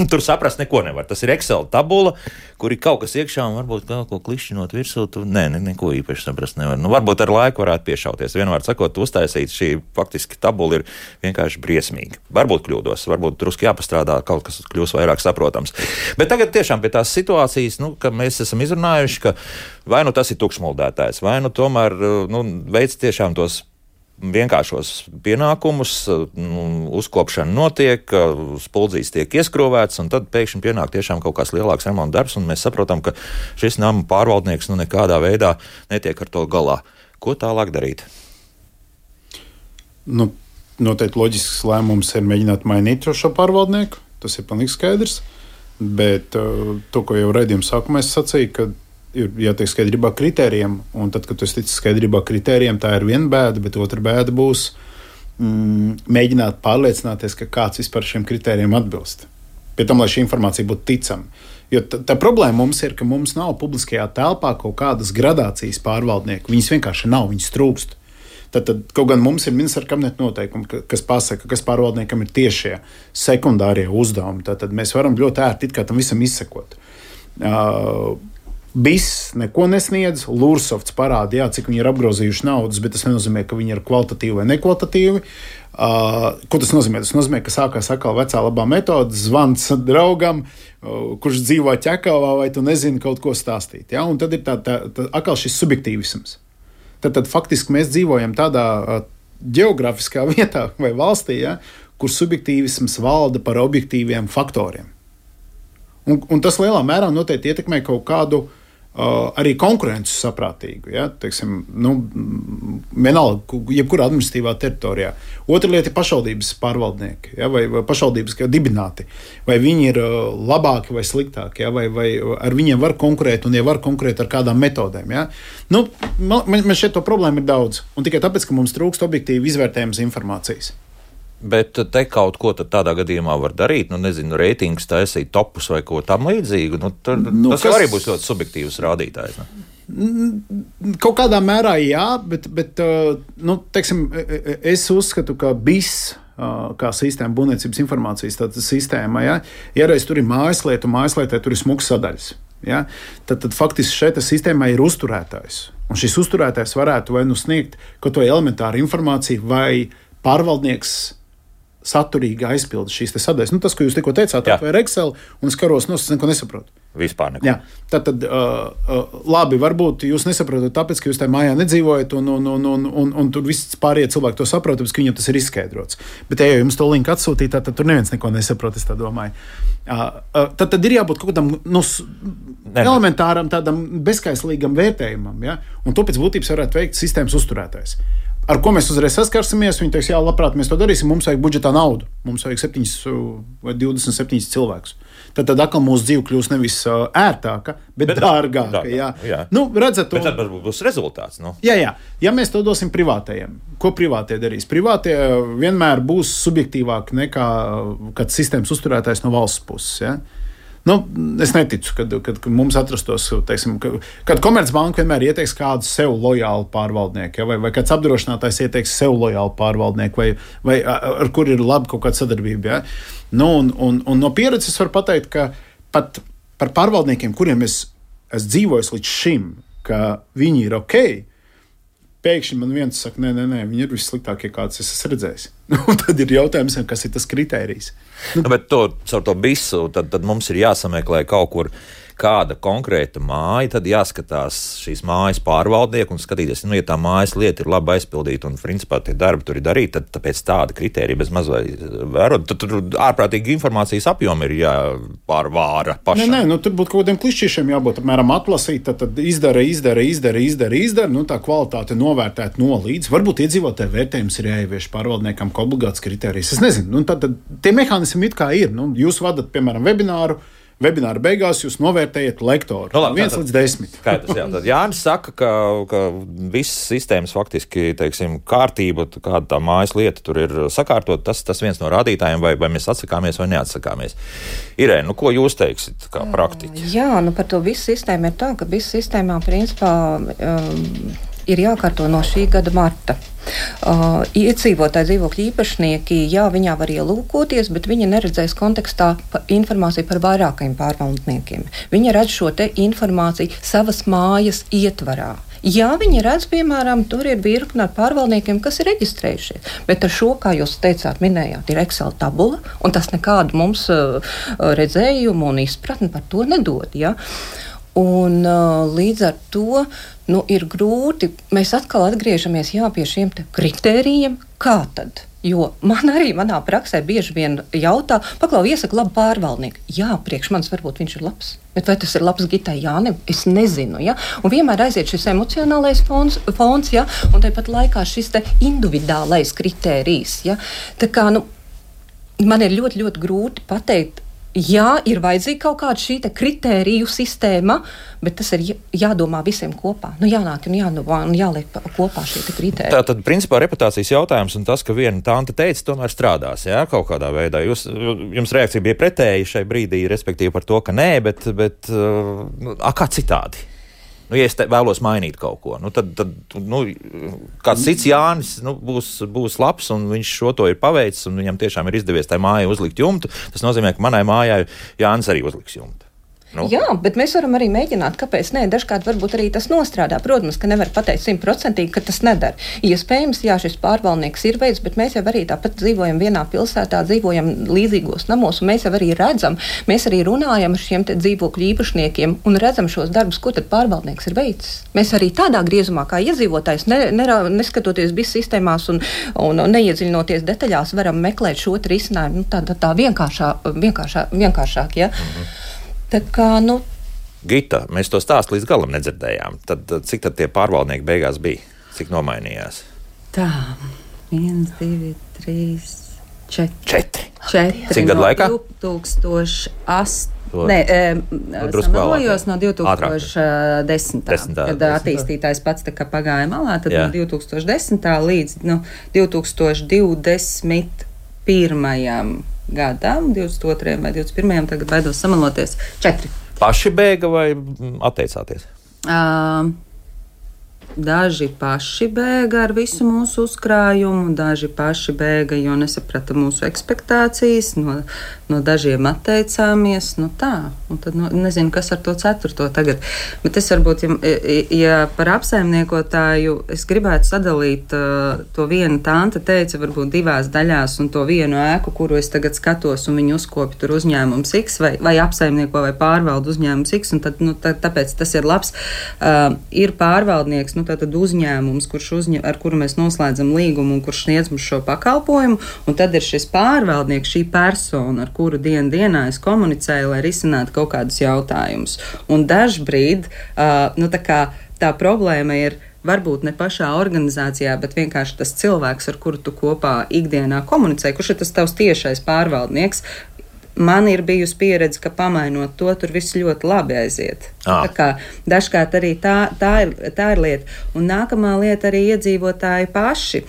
Speaker 1: tur saprast neko nevar. Tas ir Excel tabula, kur ir kaut kas iekšā un varbūt kaut ko klišķinot virsū. Tu, nē, ne, neko īpaši saprast nevar. Nu, varbūt ar laiku varētu piešauties. Vienmēr sakot, uztaisīt šī faktiski tabula ir vienkārši briesmīga. Varbūt kļūdos, varbūt drusku jāpastrādā, kaut kas kļūs vairāk saprotams. Bet tagad tiešām pie tās situācijas, nu, ka mēs esam izrunājuši, ka vai nu tas ir tukšmuldētājs, vai nu tomēr nu, veids tiešām tos vienkāršos pienākumus, uzkopšana notiek, spuldzīs tiek ieskrūvēts, un tad pēkšņi pienāk tiešām kaut kāds lielāks remonta darbs, un mēs saprotam, ka šis nama pārvaldnieks nu nekādā veidā netiek ar to galā. Ko tālāk darīt?
Speaker 3: Nu, noteikti loģisks lēmums ir mēģināt mainīt šo pārvaldnieku, tas ir pilnīgi skaidrs, bet to, ko jau raidījuma sākumā es sacīju, ka ir jātiek skaidrībā kritērijiem, un tad, kad tu esi ticis skaidrībā kritērijiem, tā ir viena bēda, bet otra bēda būs mm, mēģināt pārliecināties, ka kāds vispār šiem kritērijiem atbilst. Pie tam, lai šī informācija būtu ticama. Jo tā, tā problēma mums ir, ka mums nav publiskajā telpā kaut kādas gradācijas pārvaldnieku. Viņas vienkārši nav, viņas trūkst. Tad, tad kaut gan mums ir ministra kabineta noteikumi, kas pasaka, kas pārvaldniekam ir tiešie sekundārie uzdevumi. Tad, tad mēs varam ļoti ērti it kā tam visam izsekot. Uh, B I S neko nesniedz, Lursofts parāda, jā, cik viņi ir apgrozījuši naudas, bet tas nenozīmē, ka viņi ir kvalitatīvi vai nekvalitatīvi. Uh, ko tas nozīmē? Tas nozīmē, ka sākās atkal vecā labā metode, zvans draugam, uh, kurš dzīvo Ķekavā, vai tu nezini kaut ko stāstīt. Ja? Un tad ir tā, tā, tā, atkal šis subjektīvisms. Tad, tad faktiski mēs dzīvojam tādā uh, geogrāfiskā vietā vai valstī, ja, kur subjektīvisms valda par objektīviem faktoriem. Un, un tas lielā mērā noteikti ietekmē kaut kādu uh, arī konkurences saprātīgu. Ja? Teiksim, nu, vienalga, jebkurā administratīvā teritorijā. Otra lieta ir pašvaldības pārvaldnieki, ja? vai, vai pašvaldības dibināti. Vai viņi ir uh, labāki vai sliktāki, ja? vai, vai ar viņiem var konkurēt un ja var konkurēt ar kādām metodēm. Ja? Nu, man, man šeit to problēmu ir daudz. Un tikai tāpēc, ka mums trūkst objektīvi izvērtējums informācijas.
Speaker 1: Bet te kaut ko tādā gadījumā var darīt, nu, nezinu, reitingus taisīt, topus vai ko tam līdzīgu. Nu, tad, nu, tas kas... arī būs ļoti subjektīvs rādītājs. Ne?
Speaker 3: Kaut kādā mērā jā, bet, bet nu, teiksim, es uzskatu, ka B I S kā sistēma, būvniecības informācijas sistēma, ja, ja reiz tur ir mājaslietu, mājaslietai tur ir smuks sadaļas. Ja, tad, tad faktiski šeit sistēmā ir uzturētājs. Un šis uzturētājs varētu vai nu sniegt kaut ko elementāru informāciju, vai pārvaldnieks saturīgi aizpilda šīs sadaļas. Nu, tas, ko jūs tikko teicāt, atvēr Excel, un es karos nost, es neko nesaprotu.
Speaker 1: Vispār neko.
Speaker 3: Jā, tad, tad uh, uh, labi, varbūt jūs nesaprotat, tāpēc, ka jūs tajā mājā nedzīvojat, un, un, un, un, un, un tur viss pārējie cilvēki to saprot, tāpēc, ka viņam tas ir izskaidrots. Bet, ja jums to linku atsūtīt, tad tur neviens neko nesaprot, es tā domāju. Uh, uh, tad, tad ir jābūt kaut kādam nu, elementāram, tādam bezskaislīgam vērtējumam, ja? Un to pēc būtības varētu veikt sistēmas uzturētājs. Ar ko mēs uzreiz saskarsimies? Viņi teiks, jā, labprāt, mēs to darīsim, mums vajag budžetā naudu. Mums vajag septiņus vai divdesmit septiņus cilvēkus. Tad, tad atkal mūsu dzīve kļūs nevis ērtāka, bet, bet dārgāka. dārgāka jā. Jā. Nu, redzat,
Speaker 1: bet tad būs rezultāts. Nu.
Speaker 3: Jā, jā. Ja mēs to dosim privātajiem, ko privātie darīs? Privātie vienmēr būs subjektīvāki nekā kad sistēmas uzturētājs no valsts puses. Ja? Nu, es neticu, kad, kad, kad mums atrastos, teiksim, kad, kad Komercbanka vienmēr ieteiks kādu sev lojālu pārvaldnieku, ja, vai, vai kāds apdrošinātājs ieteiks sev lojālu pārvaldnieku, vai, vai ar kur ir laba kaut kāda sadarbība. Ja. Nu, un, un, un no pieredzes var pateikt, ka pat par pārvaldniekiem, kuriem es esmu dzīvojis līdz šim, ka viņi ir ok, pēkšņi man viens saka, nē, nē, nē, viņi ir vissliktākie, kāds es esmu redzējis. Nu, tad ir jautājums, kas ir tas kritērijs.
Speaker 1: Nu, bet to, caur to visu, tad, tad mums ir jāsameklē kaut kur kāda konkrēta māja, tad jāskatās šīs mājas pārvaldnieku un skatīties, nu, ja tā mājas lieta ir labi aizpildīta un, principā, tie darbi tur ir darīti, tad tāpēc tāda kritērija bez mazvai vērot, tad tur ārprātīgi informācijas apjomi ir jāpārvāra pašam.
Speaker 3: Nē, nē, nu, tur būtu kaut kādiem klišķīšiem jābūt, apmēram atlasīt, tad, tad izdara, izdara, izdara, izdara, izdara, nu, tā kvalitāte novērtēt no līdz. Varbūt iedzīvotāju vērtējums ir jāievieš pārvaldniekam kā obligāts kritērijs. Es nezinu, nu, tad, tad tie mehānismi it kā ir. Nu, jūs vadat, piemēram, webināru, Webināra beigās jūs novērtējat lektoru. No, labi, viens tātad, līdz desmit.
Speaker 1: Skaidrs, jā. Tad Jānis saka, ka, ka visas sistēmas faktiski, teiksim, kārtība, kāda tā mājas lieta tur ir sakārtot, tas, tas viens no rādītājiem, vai, vai mēs atsakāmies vai neatsakāmies. Irēna, nu ko jūs teiksit kā praktiķi?
Speaker 2: Jā, nu par to visu sistēmu ir tā, ka visu sistēmā principā um, ir jākārto no šī gada marta. Uh, iedzīvotāji dzīvokļu īpašnieki, jā, viņā var ielūkoties, bet viņi neredzēs kontekstā pa informāciju par vairākajiem pārvaldniekiem. Viņi redz šo te informāciju savas mājas ietvarā. Jā, viņi redz, piemēram, tur ir virkne ar pārvaldniekiem, kas ir reģistrējušies, bet ar šo, kā jūs teicāt, minējāt, ir Excel tabula, un tas nekādu mums uh, redzējumu un izpratni par to nedod, ja? Un uh, līdz ar to nu, ir grūti, mēs atkal atgriežamies jā, pie šiem kritērijiem, kā tad? Jo man arī manā praksē bieži vien jautā, paklau, iesaka labu pārvaldnieku. Jā, priekš manis varbūt viņš ir labs, bet vai tas ir labs Gitai Jānim? Es nezinu, ja? Un vienmēr aiziet šis emocionālais fons, fons ja? Un tāpat laikā šis te individuālais kritērijs. Ja? Tā kā, nu, man ir ļoti, ļoti grūti pateikt, jā, ir vajadzīga kaut kāda šī kritēriju sistēma, bet tas ir jādomā visiem kopā. Nu, jānāk un jādomā un jāliek kopā šī kritērija.
Speaker 1: Tā tad, principā, reputācijas jautājums un tas, ka viena tante teica, tomēr strādās, jā, kaut kādā veidā. Jūs, jums reakcija bija pretēji šai brīdī, respektīvi par to, ka nē, bet, bet nu, a, kā citādi? Nu, ja es vēlos mainīt kaut ko, nu, tad, tad nu, kāds cits Jānis nu, būs, būs labs, un viņš šo to ir paveicis, un viņam tiešām ir izdevies tai mājai uzlikt jumtu. Tas nozīmē, ka manai mājai Jānis arī uzliks jumtu. Nu.
Speaker 2: Jā, bet mēs varam arī mēģināt, kāpēc nē. Dažkārt varbūt arī tas nostrādā. Protams, ka nevar pateikt simtprocentīgi, ka tas nedara. Iespējams, jā, šis pārvaldnieks ir veids, bet mēs jau arī tāpat dzīvojam vienā pilsētā, dzīvojam līdzīgos namos, un mēs jau arī redzam, mēs arī runājam ar šiem te dzīvokļu īpašniekiem un redzam šos darbus, ko tad pārvaldnieks ir veicis. Mēs arī tādā griezumā, kā iedzīvotājs, ne, ne, neskatoties visu sistēmās un, un, un neiedziļinoties detaļās, varam meklēt šo risinājumu nu, tā, tā, tā vienkāršā, vienkāršā, vienkāršāk, ja? Mhm. Tā kā, nu...
Speaker 1: Gita, mēs to stāstu līdz galam nedzirdējām. Tad, cik tad tie pārvaldnieki beigās bija? Cik nomainījās?
Speaker 4: Tā, viens, divi, trīs, četri.
Speaker 1: Četri.
Speaker 4: Četri.
Speaker 1: Cik gadu
Speaker 4: no
Speaker 1: laikā?
Speaker 4: divtūkstoš astoņi.
Speaker 1: To...
Speaker 4: Nē,
Speaker 1: nu,
Speaker 4: samalojos no divtūkstoš desmitā.
Speaker 1: Desmitā,
Speaker 4: kad
Speaker 1: desmitā.
Speaker 4: Attīstītājs pats tā kā pagāja malā, tad
Speaker 1: Jā.
Speaker 4: no divtūkstoš desmitā līdz nu, divtūkstoš divdesmit pirmajam gadam, divdesmit otrajam vai divdesmit pirmajam, tagad baidos samaloties, četri.
Speaker 1: Paši bēga vai atteicāties?
Speaker 4: Uh, Daži paši bēga ar visu mūsu uzkrājumu, daži paši bēga, jo nesaprata mūsu ekspektācijas, no, no dažiem atteicāmies. Nu tā, un tad nu, nezinu, kas ar to ceturto tagad. Bet es varbūt, ja, ja par apsaimniekotāju, es gribētu sadalīt uh, to vienu tante teica, varbūt divās daļās, un to vienu ēku, kuru es tagad skatos, un viņu uzkopju tur uzņēmums X, vai, vai apsaimnieko vai pārvaldu uzņēmums X, un tad, nu, tā, tāpēc tas ir labs. Uh, ir pārvaldnieks, nu, tātad uzņēmums, kurš uzņem, ar kuru mēs noslēdzam līgumu un kurš sniedz mums šo pakalpojumu, un tad ir šis pārvaldnieks, šī persona, ar kuru dienu dienā es komunicēju, lai risinātu kaut kādus jautājumus. Un dažbrīd uh, nu, tā, kā, tā problēma ir varbūt ne pašā organizācijā, bet vienkārši tas cilvēks, ar kuru tu kopā ikdienā komunicē, kurš ir tas tavs tiešais pārvaldnieks. Man ir bijusi pieredze, ka pamainot to, tur viss ļoti labi aiziet. Ah. Tā kā dažkārt arī tā, tā, ir, tā ir lieta. Un nākamā lieta arī iedzīvotāji paši.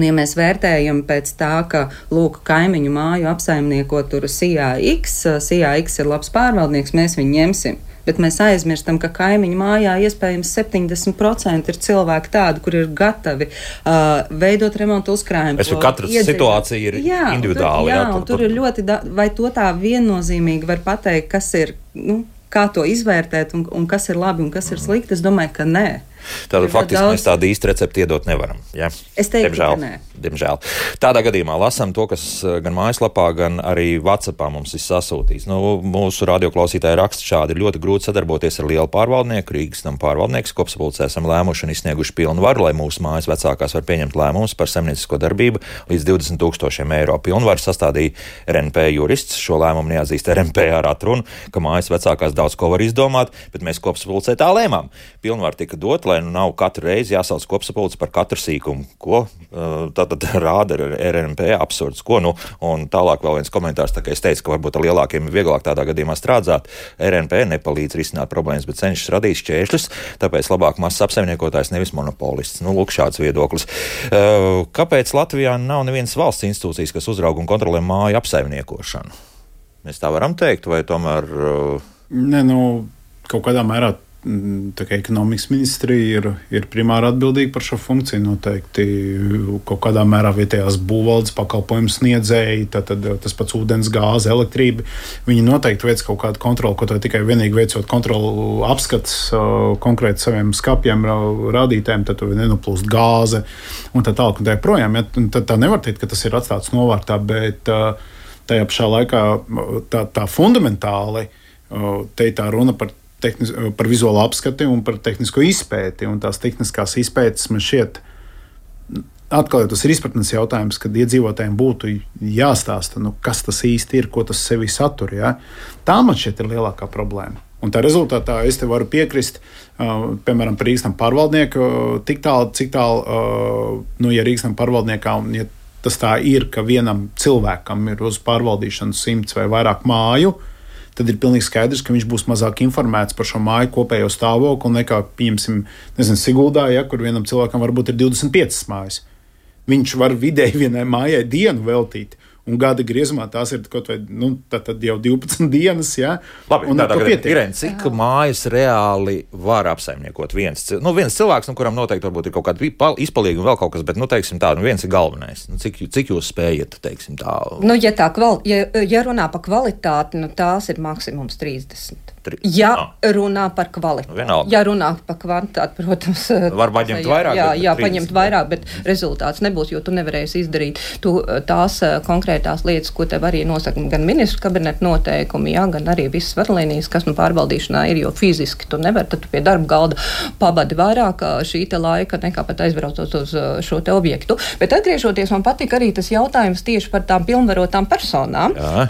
Speaker 4: Ja mēs vērtējam pēc tā, ka, lūk, kaimiņu māju apsaimnieko tur S I A X, S I A X ir labs pārvaldnieks, mēs viņu ņemsim. Bet mēs aizmirstam, ka kaimiņu mājā iespējams septiņdesmit procenti ir cilvēki tādi, kur ir gatavi uh, veidot remontu uzkrājumu.
Speaker 1: Es domāju, ka katra iedzīvot. Situācija ir jā, individuāla.
Speaker 4: Tur, jā,
Speaker 1: jā,
Speaker 4: tur, tur ir ļoti, da- vai to tā viennozīmīgi var pateikt, kas ir, nu, kā to izvērtēt un, un kas ir labi un kas ir slikti. Es domāju, ka nē.
Speaker 1: Tātad faktiski daudz... mēs tādu īstu recepti iedot nevaram. Ja?
Speaker 4: Es teiktu,
Speaker 1: diemžēl,
Speaker 4: ka nē.
Speaker 1: Diemžēl. Tādā gadījumā lasām to, kas gan mājaslapā, gan arī WhatsAppā mums ir sasūtīts. Nu, mūsu radioklausītāji raksta šādi: ir ļoti grūti sadarboties ar lielu pārvaldnieku, Rīgas nama pārvaldnieks. Kopsapulcē esam lēmuši un izsnieguši pilnvaru, lai mūsu mājas vecākās var pieņemt lēmumus par saimniecisko darbību līdz divdesmit tūkstošiem eiro. Pilnvaru sastādīja R N P jurists. Šo lēmumu neatzīst R N P ar atrunu, ka mājas vecākās daudz ko var izdomāt, bet mēs kopsapulcē tā lēmām. Pilnvaru tika dot, lai nu nav katru reizi jāsauc kopsapulce par katru sīkumu, ko uh, tātad rāda R N P absurds. Ko, nu, un tālāk vēl viens komentārs, tā kā es teicu, ka varbūt ar lielākiem ir vieglāk tādā gadījumā strādāt. R N P nepalīdz risināt problēmas, bet cenšas radīt šķēršļus, tāpēc labāk mazs apsaimniekotājs, nevis monopolists. Nu, lūk, šāds viedoklis. Uh, kāpēc Latvijā nav nevienas valsts institūcijas, kas uzrauga un kontrolē māju apsaimniekošanu? Mēs tā varam teikt, vai tomēr... Uh...
Speaker 3: Ne, nu, kaut kādā mērā tā kā ekonomikas ministrija ir, ir primāri atbildīga par šo funkciju. Noteikti kaut kādā mērā vietējās būvvaldes pakalpojumu sniedzēji, tad tas pats ūdens, gāze, elektrība. Viņi noteikti veic kaut kādu kontroli, ko to tikai vienīgi veicot kontrolu apskats konkrēti saviem skapiem, rādītājiem, tad nenoplūst gāze un tā tālāk un tā projām. Ja, tad tā nevar teikt, ka tas ir atstāts novārtā, bet tajā pašā laikā tā, tā fundamentāli te tā runa par Tehnis, par vizuālo apskati un par tehnisko izpēti. Un tās tehniskās izpētes man šķiet, atkal tas ir izpratnes jautājums, kad iedzīvotājiem būtu jāstāsta, nu, kas tas īsti ir, ko tas sevi satur. Ja? Tā man šķiet ir lielākā problēma. Un tā rezultātā es te varu piekrist, uh, piemēram, par Rīgas nama pārvaldnieku, tik tālu, cik tālu, uh, nu, ja Rīgas nama pārvaldniekā, un ja tas tā ir, ka vienam cilvēkam ir uz pārvaldīšanu simts vai vairāk māju, tad ir pilnīgi skaidrs, ka viņš būs mazāk informēts par šo māju kopējo stāvokli nekā, pieņemsim, nezinu, Siguldā, ja, kur vienam cilvēkam varbūt ir divdesmit piecas mājas. Viņš var vidēji vienai mājai dienu veltīt, un gada griezumā tās ir kaut vai, nu, tad jau divpadsmit dienas, jā.
Speaker 1: Labi, un tādā gadījumā, Irēna, cik mājas reāli var apsaimniekot viens, nu, viens cilvēks, nu, kuram noteikti varbūt ir kaut kāda izpalīga un vēl kaut kas, bet, nu, teiksim tā, nu, viens ir galvenais. Nu, cik, cik jūs spējat, teiksim tā?
Speaker 2: Nu, ja tā, kval, ja, ja runā par kvalitāti, nu, tās ir maksimums trīsdesmit. Ja no. runā par kvalitāti. Nu, ja runā par kvantitāti, protams,
Speaker 1: var paņemt vairāk.
Speaker 2: Jā, jā paņemt vairāk, bet rezultāts nebūs, jo tu nevarēsi izdarīt tu, tās konkrētās lietas, ko tev arī nosaka gan ministru kabineta noteikumi, jā, gan arī visas vadlīnijas, kas nu pārbaudīšanā ir, jo fiziski tu nevari, tad tu pie darba galda pabadi vairāk šī te laika, nekā pat aizbraucot uz šo te objektu. Bet atgriežoties, man patika arī tas jautājums tieši par tām pilnvarotām personām, jā.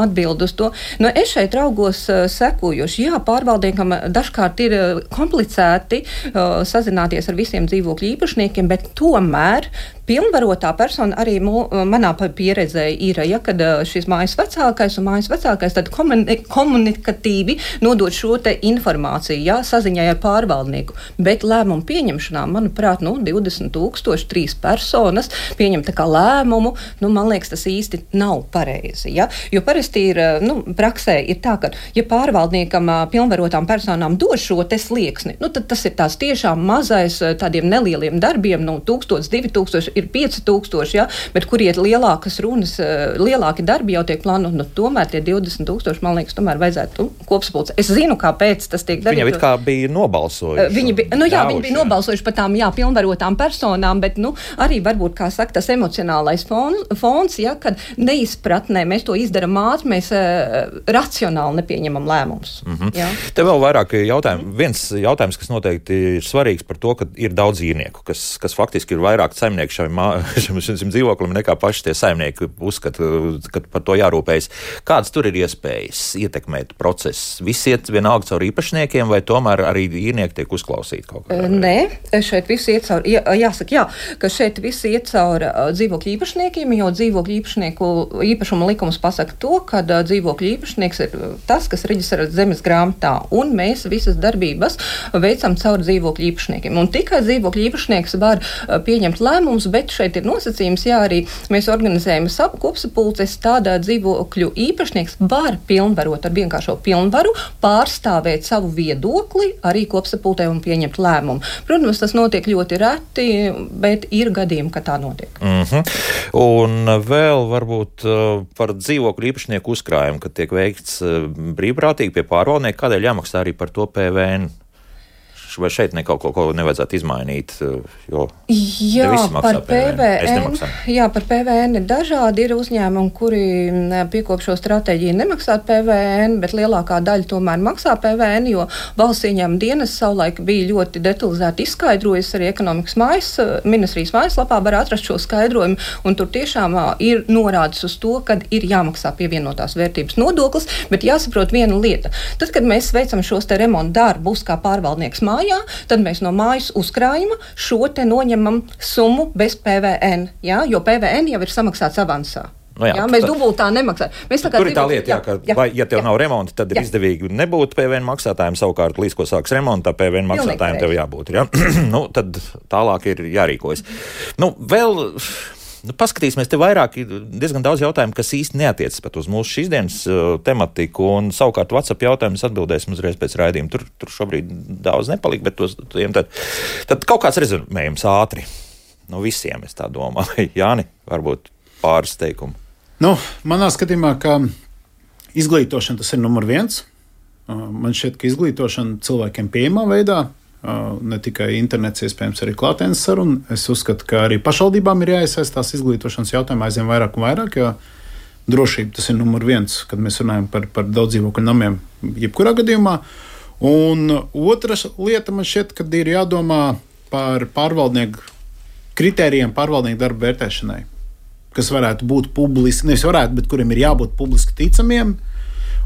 Speaker 2: Atbild uz to. Nu, es šeit raugos seku, jo jā, pārvaldniekam dažkārt ir komplicēti uh, sazināties ar visiem dzīvokļu īpašniekiem, bet tomēr pilnvarotā persona arī mū, manā pieredzē ir, ja, kad šis mājas vecākais un mājas vecākais tad komuni- komunikatīvi nodod šo te informāciju, ja, saziņai ar pārvaldnieku. Bet lēmumu pieņemšanā, manuprāt, nu, divdesmit tūkstoši, trīs personas pieņem tā kā lēmumu, nu, man liekas, tas īsti nav pareizi, ja, jo parasti ir, nu, praksē ir tā, ka, ja pārvaldnieks pārvaldniekam, pilnvarotām personām dod šo te slieksni, nu, tad tas ir tās tiešām mazais tādiem nelieliem darbiem, nu, tūkstots, divi tūkstoši, ir pieci tūkstoši, ja, bet kur iet lielākas runas, lielāki darbi jau tiek plānot, nu, tomēr tie divdesmit tūkstoši, man liekas, tomēr vajadzētu kopsapulce. Es zinu, kāpēc tas tiek darīts.
Speaker 1: Viņa it kā bija nobalsojuši.
Speaker 2: Viņi bija, nu jā, ļauši, viņi bija nobalsojuši par tām, jā, pilnvarotām personām, bet, nu, arī varbūt, kā saka, tas emocionālais fons, fons ja, kad neizpratnē mēs to izdaram ātri, mēs uh, racionāli nepieņemam lēmumus.
Speaker 1: Mm-hmm. Te vēl vairāk jautājumu. Mm-hmm. Viens jautājums, kas noteikti ir svarīgs par to, ka ir daudz īrnieku, kas, kas faktiski ir vairāk saimnieku šim, šim, šim dzīvoklim nekā paši tie saimnieki uzskata, ka par to jārūpējas. Kādas tur ir iespējas ietekmēt procesu? Visi iet vienalga caur īpašniekiem, vai tomēr arī īrnieki tiek uzklausīti kaut kā?
Speaker 2: Nē, šeit visi iet caur, jā, jāsaka, jā, ka šeit visi iet caur uh, dzīvokļu īpašniekiem, jo dzīvokļu īpašnieku īpašuma likums pasaka to, ka uh, dzīvokļu īpašnieks ir tas, kas reģistrē zemes grāmatā, un mēs visas darbības veicam caur dzīvokļu īpašniekiem. Un tikai dzīvokļu īpašnieks var uh, pieņemt lēmumus, bet šeit ir nosacījums, jā, arī mēs organizējam kopsapulces, tādā dzīvokļu īpašnieks var pilnvarot ar vienkāršo pilnvaru, pārstāvēt savu viedokli arī kopsapultē un pieņemt lēmumu. Protams, tas notiek ļoti reti, bet ir gadījumi, ka tā notiek.
Speaker 1: Mm-hmm. Un vēl varbūt uh, par dzīvokļu īpašnieku uzkrājumu, kad tiek veikts uh, brīvprātīgi pie pārvaldnieka, kādēļ jāmaksā arī par to P V N? Vai šeit ne kaut ko, ko nevajadzētu izmainīt, jo
Speaker 2: jā, par P V N, jā, par P V N ir dažādi, ir uzņēmumi, kuri piekop šo stratēģiju nemaksāt P V N, bet lielākā daļa tomēr maksā P V N, jo valsts ieņēmuma dienas savulaik bija ļoti detalizēti izskaidrojis, arī ekonomikas mājas, ministrijas mājaslapā var atrast šo skaidrojumu, un tur tiešām ir norādes uz to, kad ir jāmaksā pievienotās vērtības nodoklis, bet jāsaprot viena lieta. Tad, kad mēs veicam šos te remontu darbus kā pārvaldnieks mājā, Jā, tad mēs no mājas uzkrājuma šo te noņemam summu bez P V N, jā, jo P V N jau ir samaksāts avansā.
Speaker 1: No jā,
Speaker 2: jā, mēs dubultā nemaksājam. Mēs tā kā
Speaker 1: tur ir tā lieta, jā, ka, jā, vai, ja tev jā, nav remonta, tad ir jā. izdevīgi nebūt P V N maksātājiem, savukārt līdz ko sāks remonta, P V N maksātājiem tev jābūt. Jā. Nu, tad tālāk ir jārīkojas. Nu, vēl... Nu, paskatīsimies, te vairāk ir diezgan daudz jautājumu, kas īsti neatiecas pat uz mūsu šīs dienas uh, tematiku, un savukārt WhatsApp jautājumus atbildēsim uzreiz pēc raidījuma. Tur, tur šobrīd daudz nepalika, bet tos, tad, tad kaut kāds rezumējums ātri. No visiem, es tā domāju. Jāni, varbūt pāris teikumu.
Speaker 3: Nu, manā skatījumā, ka izglītošana tas ir numur viens. Uh, man šķiet, ka izglītošana cilvēkiem pieejamā veidā, ne tikai internets, iespējams, arī klātienes saruna. Es uzskatu, ka arī pašvaldībām ir jāiesaistās izglītošanas jautājumā aizvien vairāk un vairāk, jo drošība tas ir numur viens, kad mēs runājam par, par daudz dzīvokļu namiem, jebkurā gadījumā. Un otra lieta man šķiet, kad ir jādomā par pārvaldnieku kritērijiem pārvaldnieku darba vērtēšanai, kas varētu būt publiski, nevis varētu, bet kuriem ir jābūt publiski ticamiem.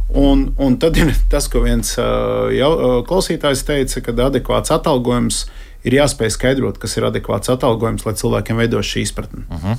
Speaker 3: Un, un tad ir tas, ko viens uh, jau, uh, klausītājs teica, ka adekvāts atalgojums ir jāspēj skaidrot, kas ir adekvāts atalgojums, lai cilvēkiem veidos šī izpratne. Uh-huh.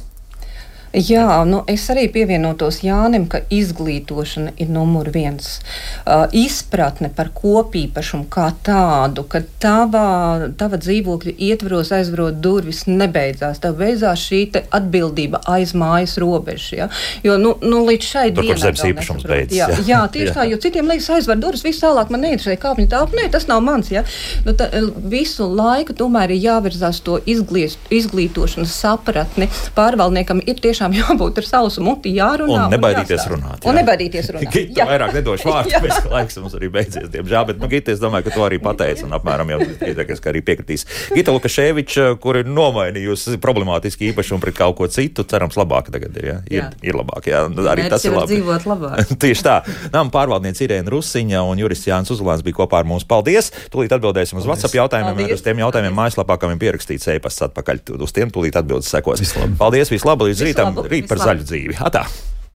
Speaker 2: Jā, nu es arī pievienotos Jānim, ka izglītošana ir numur viens. Uh, izpratne par kopīpašumu kā tādu, ka tava, tava dzīvokļa ietvaros aizvarot durvis nebeidzās. Tev beidzās šī te atbildība aiz mājas robežas. Ja? Jo nu, nu līdz šai
Speaker 1: dienai... Tur, kur zemes īpašums beidzas.
Speaker 2: Jā, jā, jā, tieši jā. Tā, jo citiem liekas aizvar durvis, viss tālāk man neinteresē kāpņu tālāk. Nē, tas nav mans. Ja? Nu, tā, visu laiku tomēr ir jāvirzās to izglīt, izglītošanas sapratni. Pārvaldniekam ir tieši jābūt ar sausu muti, jārunā.
Speaker 1: Un nebaidīties un runāt. Jā.
Speaker 2: Un nebaidīties runāt.
Speaker 1: Gita vairāk nedošu vārdu, pēc ka laiks mums arī beidzies, diemžēl. Bet, nu, Gita, es domāju, ka to arī pateica un apmēram jau Gita, ka arī piekritīs. Gita Lukaševiča, kur ir nomainījusi problemātiski īpašumu pret kaut ko citu, cerams labāk tagad ir, jā? Ir, jā. ir labāk, jā. Arī
Speaker 4: Mērķi
Speaker 1: tas ir labi.
Speaker 4: Dzīvot labāk.
Speaker 1: Tieši tā. Nama pārvaldniece Irēna Rusiņa un jurists Jānis Uzulāns bija kopā ar mums. Paldies! Tūlīt atbildēsim uz WhatsApp jautājumiem, un uz tiem jautājumiem mājaslapā, kam ir pierakstīts e-pasts atpakaļ. Uz tiem tūlīt atbildes sekos. Vislabāk. Paldies, vislabāk, līdz rītam, rīt par zaļu dzīvi. Atā!